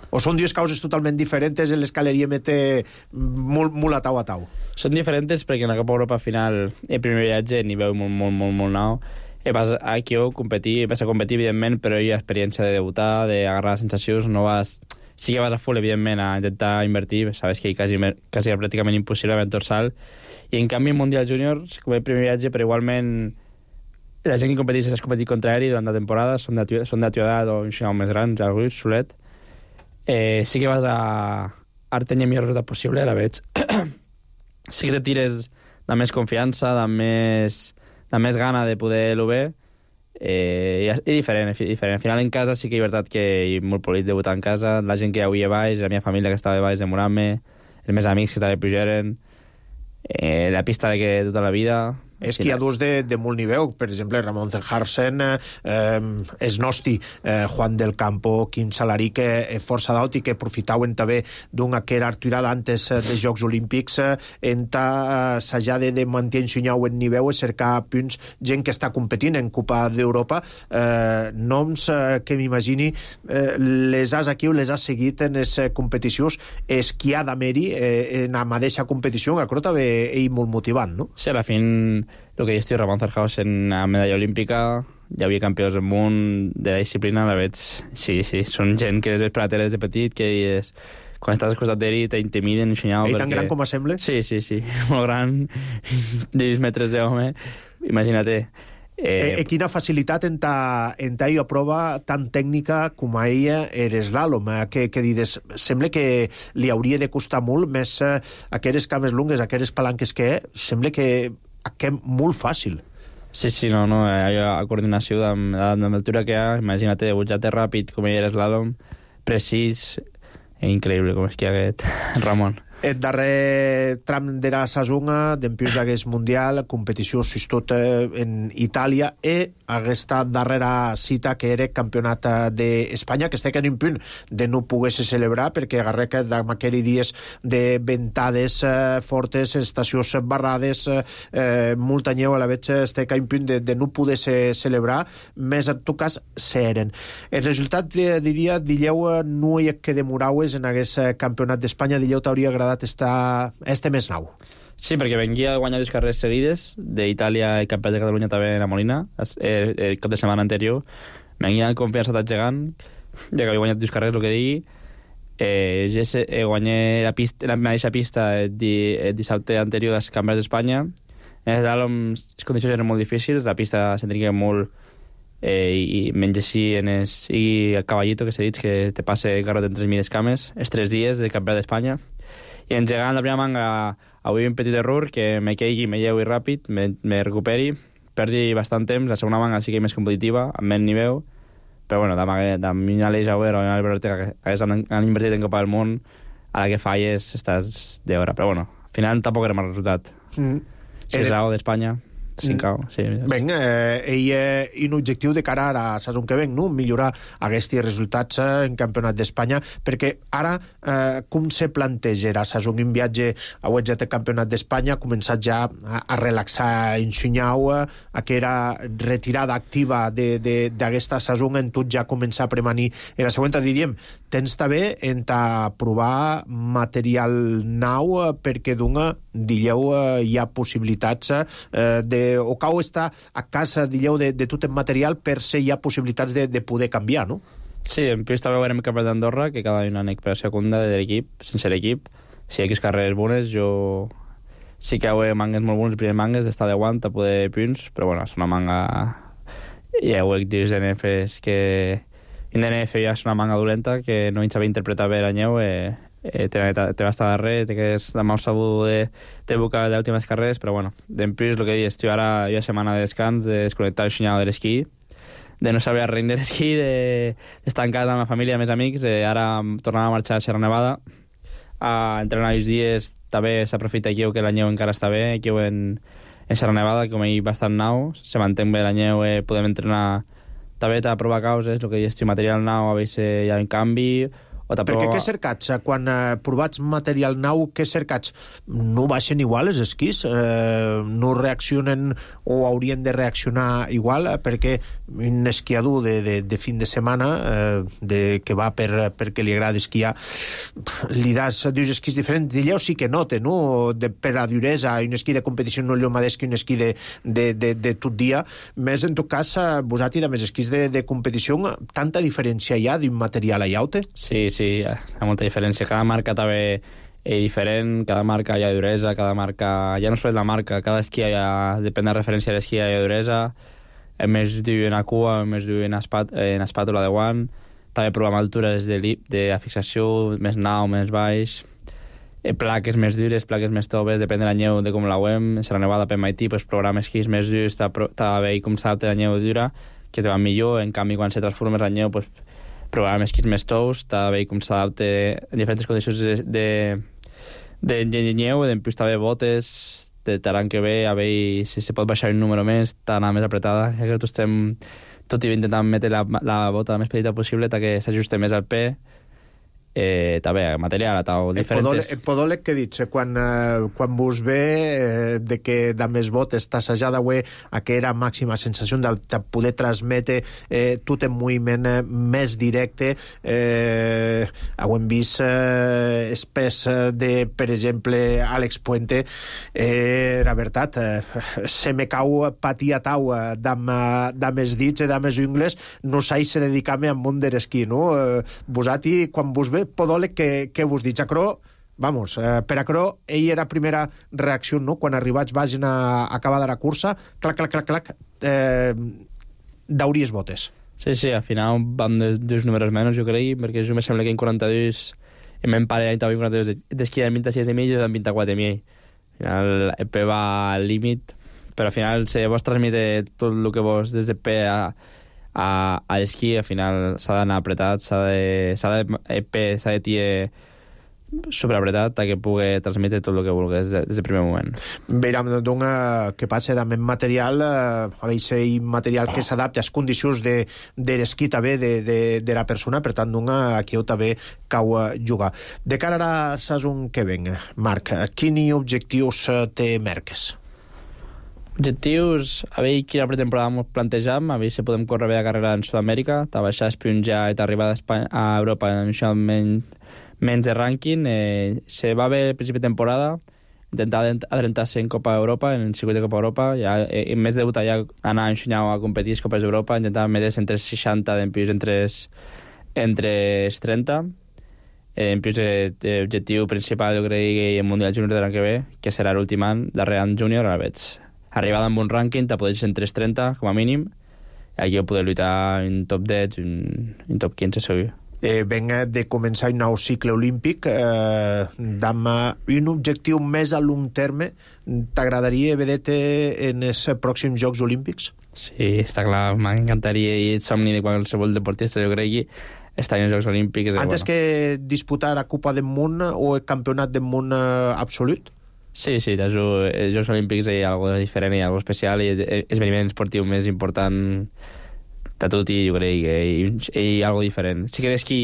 S7: O són dues causes totalment diferents en l'escaleria mete molt a tau?
S8: Són diferents perquè en la Copa Europa final el primer viatge n'hi veu molt nou, i vas aquí a competir, evidentment, però hi ha experiència de debutar, d'agarrar sensacions, no vas... Sí que vas a full, evidentment, a intentar invertir, sabes que quasi pràcticament impossible amb el dorsal, i en canvi en Mundial Júnior, com el primer viatge, però igualment la gent que competeix has competit contra aeri durant la temporada, són de teva edat o més grans, algú, solet. Sí que vas a tenir el millor resultat possible, la veig. Sí que te tires de més confiança, de més gana de poder-lo bé, és diferent. Al final en casa sí que és veritat que és molt polit debutar en casa, la gent que hi havia baix, la meva família que estava baix demorant-me, els meus amics que també pujaren, la pista de que tota la vida...
S7: Esquiadors de molt nivell, per exemple, Ramon Zenharsen, Snosti, Juan del Campo, Quim Salaric, força d'aut i que aprofitaven també d'una que era arturada antes dels Jocs Olímpics s'haja de mantenir en nivell i cercar punts, gent que està competint en Copa d'Europa, noms que m'imagini les has aquí o les has seguit en les competicions, esquiar d'Ameri en la mateixa competició, que també és molt motivant, no?
S8: Sí, a la fin... El que jo estic Ramon Zenhausen a medalla olímpica, hi havia campions del món de la disciplina, la veig... Sí, són gent que les veig per la tele des de petit, que és... Quan estàs al costat d'ell t'intimiden, ensenyau...
S7: Ell tan gran com sembla?
S8: Sí, molt gran, de 10 metres d'home, imagina't.
S7: Quina facilitat en ta prova tan tècnica com a ella eres l'àlom, que dides, sembla que li hauria de costar molt més aquelles cames lungues, aquelles palanques que sembla que molt fàcil.
S8: Sí, no, hi ha coordinació amb l'altura que hi ha, imagina't, butjat ràpid, com ell eres l'àlom, precís, increïble com és que aquest Ramon.
S7: El darrer tram de la saison d'empions d'aquest mundial, competició tot en Itàlia, i aquesta darrera cita que era campionat d'Espanya, que estic en un punt de no poder-se celebrar, perquè agarrec d'aquells dies de ventades fortes, estacions barrades, molta neu, a la veig estic en un punt de no poder-se celebrar, més en tot cas seren. El resultat, diria, dileu no hi ha que demoraues en aquest campionat d'Espanya, dileu t'hauria agradat este mes nou.
S8: Sí, perquè venia a guanyar 2 carreres seguides, d'Itàlia i Campionat de Catalunya també en la Molina, el cap de setmana anterior. Venia amb confiança gegant, ja que havia guanyat 2 carreres, el que digui. Guanyé la mateixa pista el dissabte anterior als Campionats d'Espanya. Les condicions eren molt difícils, la pista s'entrinca molt i menys així i el caballito que s'ha dit que te passe garrot en 3.000 cames, els 3 dies del Campionat d'Espanya. I engegant la primera manga avui un petit error que me caigui, me lleui ràpid, me recuperi, perdi bastant temps, la segona manga sí que és més competitiva, amb menys nivell, però bueno, de mi Aleix Auer o Albert Ortega que han invertit en Copa del Món, a la que falles estàs d'hora, però bueno, al final tampoc era mal resultat. 6-0 d'Espanya, 5-0, sí.
S7: Ben, un objectiu de cara a la saison que ven, no? Millorar aquests resultats en Campionat d'Espanya, perquè ara com se planteja la saison? Un viatge a Uetget de Campionat d'Espanya, ha començat ja a relaxar en Xunyau, que era retirada activa d'aquesta saison, en tot ja començar a premanir en la següent, diríem, tens també en provar material nou, perquè d'una, dileu, hi ha possibilitats o cau està a casa, dileu, de tot el material per ser hi ha possibilitats de poder canviar, no?
S8: Sí, en plus també veurem el Campionat d'Andorra, que cada una anec per la segunda de l'equip, sense l'equip. Si hi ha carreres bones, jo sí que hi ha mangues molt bones, els primers mangues, d'estar de guant a poder punts, però bueno, és una manga... Ja ho he dit d'NF, és que en DNF ja és una manga dolenta, que no hi saber interpretar bé la neu, te va estar darrere, te quedes de mal sabut de buscar les últimes carreres, però bueno, d'en plus el que dius, jo ara hi ha setmana de descans, de desconnectar el xinyal de l'esquí, de no saber res de l'esquí, d'estar en casa amb la família, amb els amics, ara tornant a marxar a Sierra Nevada, a entrenar els dies, també s'aprofita aquí que la neu encara està bé, aquí en Sierra Nevada, com hi bastant nou, se mantén bé la neu, podem entrenar també a provar causes, el que dius, material nou, a veure si hi ha un canvi.
S7: Perquè què cercats? Quan provats material nou, què cercats? No baixen igual els esquís? No reaccionen o haurien de reaccionar igual? Perquè un esquiador de fin de setmana que va perquè li agrada esquiar, li das dos esquís diferents, d'allò sí que nota, no? Per la duresa, un esquí de competició no és el mateix que un esquí de tot dia. Més, en tot cas, vosaltres, amb els esquís de competició, tanta diferència hi ha d'un material a llaute?
S8: Sí, hi ha molta diferència. Cada marca també és diferent, cada marca hi ha duresa, cada marca... Ja no és la marca, cada esquí depèn de la referència de l'esquí, hi ha duresa, més diu en la cua, més diu en espàtula de guant, també provem altures de la fixació, més nau, més baix, plaques més dures, plaques més toves, depèn de la neu, de com la veiem. Serà nevada per MIT, pues, program esquís més durs, està bé com s'adapta la neu dura, que te van millor. En canvi, quan se transformes en neu, pues, provar esquís més tous, t'ha de veure com s'adapta en diferents condicions de neu, en plus també botes, de l'any que ve, a veure si se pot baixar un número més, d'anar més apretada. Ja que tots estem tot i intentant metre la bota més petita possible que s'ajuste més al peu. També material o diferents...
S7: El podòleg que dic, quan vos ve de que de més botes t'assajada a que era màxima sensació de poder transmetre tot en moviment més directe, ho hem vist espès de, per exemple, Àlex Puente, la veritat, se me cau patir a tau de més dits i de més ungles, no saig a dedicar-me al món de l'esquí, no? Vosati, quan vos ve podòleg que vos dic, Acro, vamos, per Acro, ell era primera reacció, no? Quan arribats vagin a acabar de la cursa, clac, dauries botes.
S8: Sí, al final vam dos números menys, jo crec, perquè jo me sembla que en 42 em parella en 42 d'esquí de 26 i mig i de 24 i mig. Al final el P va al límit, però al final se vos transmite tot el que vos des de P a l'esquí, al final s'ha d'anar apretat, s'ha de tirar superapretat que pugui transmetre tot el que vulguis des del primer moment.
S7: Veiem que passa amb material, material que s'adapta a les condicions de l'esquí també de la persona, per tant aquí també cau jugar. De cara a la saison que ven, Marc, quins objectius te marques?
S8: Objectius, a veure quina pretemporada ens plantejam, a veure si podem córrer bé la carrera en Sud-amèrica, baixar espionjar i arribar a Europa en això menys de rànquing. Se va bé el principi de temporada, intentar adrentar-se en Copa d'Europa, en el circuit de Copa d'Europa, ja, en més de debutar ja anar ensenyant a competir a Copes d'Europa, intentar metre's entre 60 d'empius entre 30. En plus, l'objectiu principal, jo crec, el Mundial Júnior de l'any que ve, que serà l'últim any, darrer any júnior, ara veig. Arribada amb un rànquing, te podries entre 30, com a mínim, i aquí poder lluitar en top 10, en top 15, segur.
S7: Venga de començar un nou cicle olímpic, amb un objectiu més a long terme, t'agradaria veure-te en els pròxims Jocs Olímpics?
S8: Sí, està clar, m'encantaria, i el somni de qualsevol deportista, jo crec que estar en els Jocs Olímpics...
S7: Antes que disputar la Copa del Món o el Campionat del Món absolut?
S8: Sí, els Jocs Olímpics hi ha alguna cosa diferent, hi ha alguna cosa especial, i l'esveniment esportiu més important de tot, i jo crec que hi ha alguna cosa diferent. Sí que l'esquí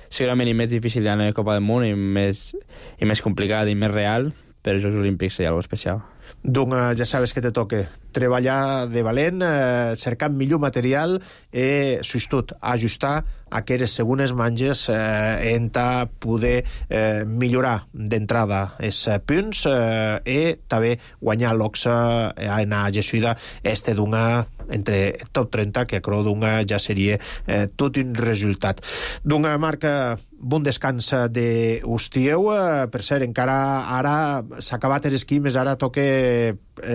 S8: segurament és més difícil d'anar a la Copa del Món, i més complicat i més real, però els Jocs Olímpics hi ha alguna cosa especial.
S7: Doncs ja sabes que te toca treballar de valent, cercar millor material i, sobretot, ajustar aquelles segones manges en poder millorar d'entrada els punts i també guanyar l'oxa en la gessuida entre top 30, que crec ja seria tot un resultat. Doncs, Marc, bon descans d'Ustieu. Per cert, encara ara s'ha acabat l'esquí, més ara toca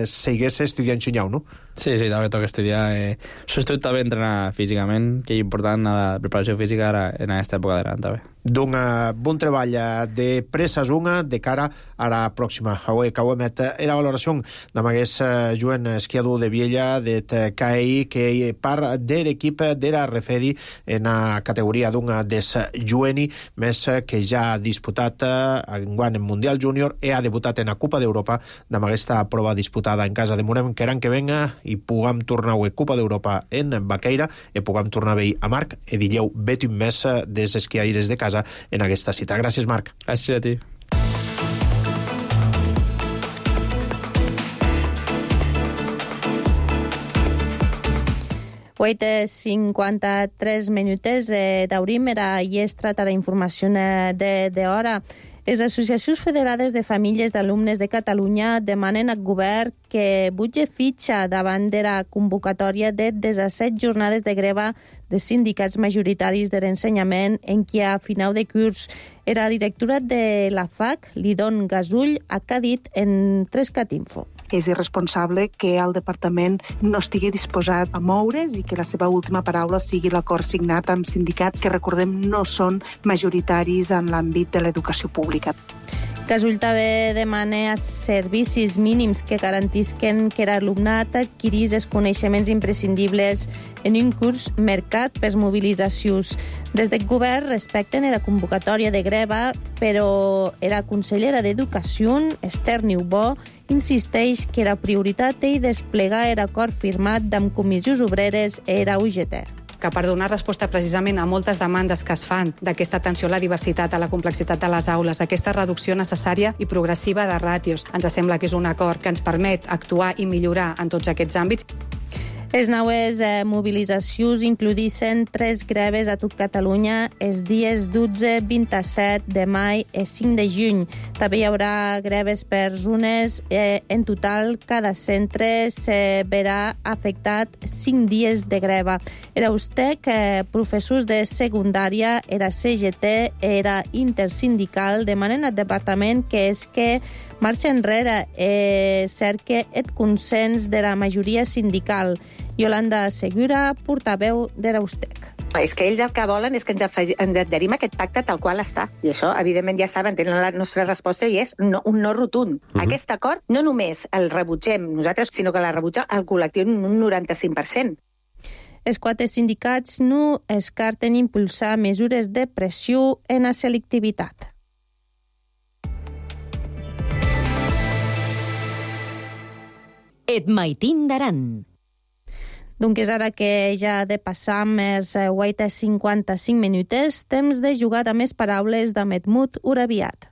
S7: seguir estudiant xinyau, no?
S8: Sí, també toca estudiar. Sobretot també entrenar físicament, que és important a la preparació física ara en aquesta època de l'any, també.
S7: Doncs bon treball de presa-zunga de cara a la pròxima. Avui que era valoració d'amagués Joan esquiador de Viella de CAI, que part de l'equip de la Refedi en la categoria des Jueni, més que ja ha disputat enguany en Mundial Júnior i ha debutat en la Copa d'Europa d'aquesta prova disputada en casa de Morem, que l'any que venga i puguem tornar a Copa d'Europa en Baqueira i puguem tornar a veure a Marc i dilleu vet un mes des esquiaires de casa en aquesta cita. Gràcies, Marc.
S8: Gràcies a ti.
S1: Huit 53 minuts d'aurim era llestra a la informació d'hora. Les associacions federades de famílies d'alumnes de Catalunya demanen al govern que butge fitxa davant de la convocatòria de 17 jornades de greva de sindicats majoritaris de l'ensenyament en què a final de curs era directora de la FAC, Lidon Gasull, ha dit en 3cat Info.
S9: És irresponsable que el departament no estigui disposat a moure's i que la seva última paraula sigui l'acord signat amb sindicats que, recordem, no són majoritaris en l'àmbit de l'educació pública.
S1: Casull també demana servicis mínims que garantisquen que l'alumnat adquirís els coneixements imprescindibles en un curs mercat per mobilitzacions. Des del govern respecten la convocatòria de greva, però la consellera d'Educació, Esther Niubó, insisteix que la prioritat és desplegar l'acord firmat amb comissions obreres i la UGT.
S10: Que per donar resposta precisament a moltes demandes que es fan d'aquesta atenció a la diversitat, a la complexitat de les aules, aquesta reducció necessària i progressiva de ràtios, ens sembla que és un acord que ens permet actuar i millorar en tots aquests àmbits.
S1: Les noves mobilitzacions incloïssin 3 greves a tot Catalunya els dies 12, 27 de maig i 5 de juny. També hi haurà greves per zones. En total, cada centre se verà afectat 5 dies de greva. Era USTEC, professors de secundària, era CGT, era intersindical, demanen al departament que marxa enrere cerca el consens de la majoria sindical. Yolanda Segura, portaveu de l'USTEC.
S11: És que ells el que volen és que ens adherim a aquest pacte tal qual està. I això, evidentment, ja saben, tenen la nostra resposta i és un no rotund. Aquest acord no només el rebutgem nosaltres, sinó que la rebutja el col·lectiu en un 95%.
S1: Els 4 sindicats no descarten impulsar mesures de pressió en la selectivitat.
S2: Et maitin d'Aran.
S1: Doncs ara que ja de passar més 8:55 minuts, temps de jugar a més paraules d'Ahmed Urabiat.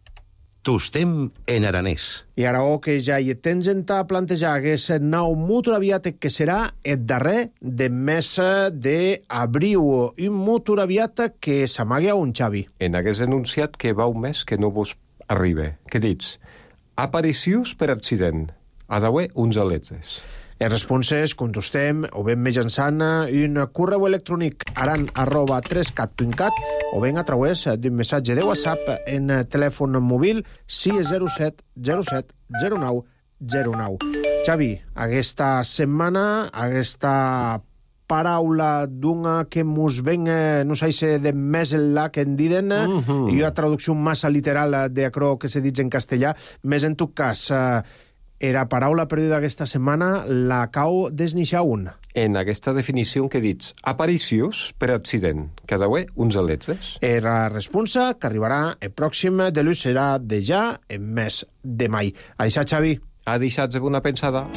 S12: Tostem en aranès.
S7: I ara que ja hi tens en ta plantejar aquest nou mut Urabiat que serà el darrer de mes d'abril. Un mut Urabiat que s'amaga a un Xavi.
S13: En aquest enunciat que va un mes que no vos arriba. Què dits? Aparicions per accident. Has d'haver uns aletes.
S7: Les responses contestem o ben mitjançant un correu electrònic aran@3cat.cat o ben a través d'un missatge de WhatsApp en telèfon mòbil 607 07 09 09. Xavi, aquesta setmana, aquesta paraula d'una que mos ven, no sé de més enllà que en diden, i una traducció massa literal d'acrò que se dit en castellà, més en tot cas... Era paraula perduda aquesta setmana la cau desnixar un.
S13: En aquesta definició que dits, aparicions per accident, que ha d'haver uns aletes.
S7: Era responsa que arribarà el pròxim de l'ús serà de ja en mes de mai. A deixar, Xavi.
S13: A deixar-se una pensada.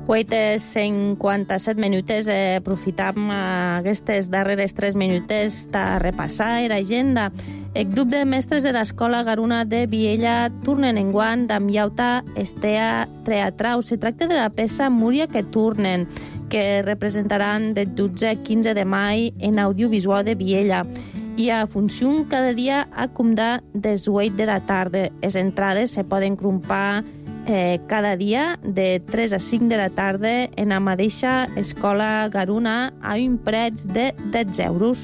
S1: Poetes 57 minuts, aprofitam aquestes darreres 3 minuts de repassar l'agenda. El grup de mestres de l'Escola Garuna de Viella tornen enguany amb Iauta Estea Teatrau. Se tracta de la peça Múria que tornen, que representaran del 12 al 15 de maig en audiovisual de Viella. Hi ha funció cada dia a comptar des 8 de la tarda. Les entrades se poden comprar cada dia de 3 a 5 de la tarda en la mateixa Escola Garuna a un preu de 10 euros.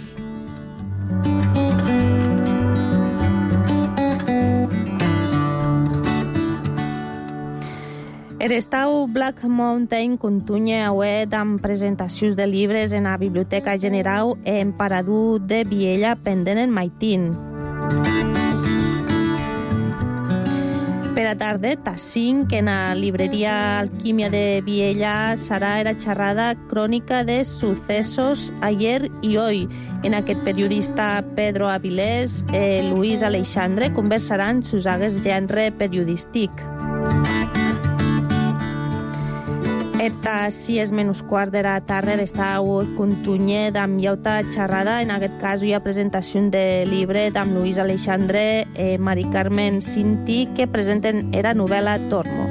S1: L'estau Black Mountain continua avui amb presentacions de llibres en la Biblioteca General en Parador de Viella pendent en maitín. Per a tarda, a 5, en la libreria Alquímia de Viella serà la xerrada crònica de sucesos ayer i hoy. En aquest periodista Pedro Avilés i Luis Aleixandre conversaran sus agues gènere periodístic. A 6:15 de la tarda l'estau continua amb Iauta xerrada. En aquest cas hi ha presentació de llibre amb Luis Aleixandre i Mari Carmen Cinti que presenten la novel·la Tormo.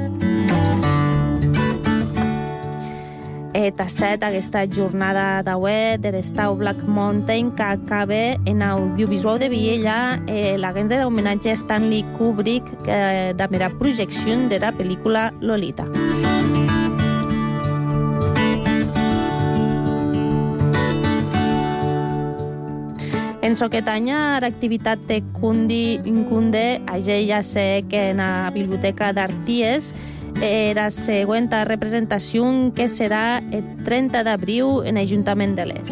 S1: tasset aquesta jornada d'auè der Stau Black Mountain que acaba en audiovisual de Viella l'agents de l'homenatge a Stanley Kubrick de la projecció de la pel·lícula Lolita. En Soquetanya, l'activitat de Cunde, ja sé que en la Biblioteca d'Arties, la següent representació que serà el 30 d'abril en l'Ajuntament de Les.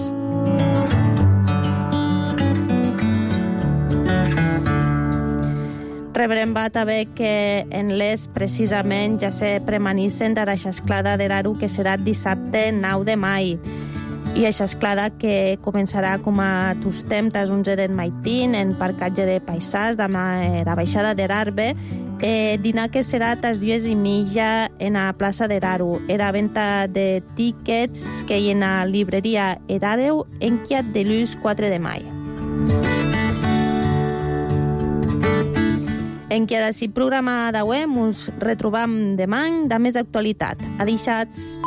S1: Rebrem va també que en Les precisament ja se premanissen de la xasclada de l'Aro que serà dissabte 9 de mai. I això és clar que començarà com a tostem tas 11 del maitín en parcatge de paisars de la baixada de l'Arbe, dinar que serà tas 2:30 en la plaça de l'Aro. Era venta de tíquets que hi en la libreria Erareu en Quiat de Luz 4 de mai. En què d'ací programa d'avui ens retrobam demà de més actualitat. Adixats!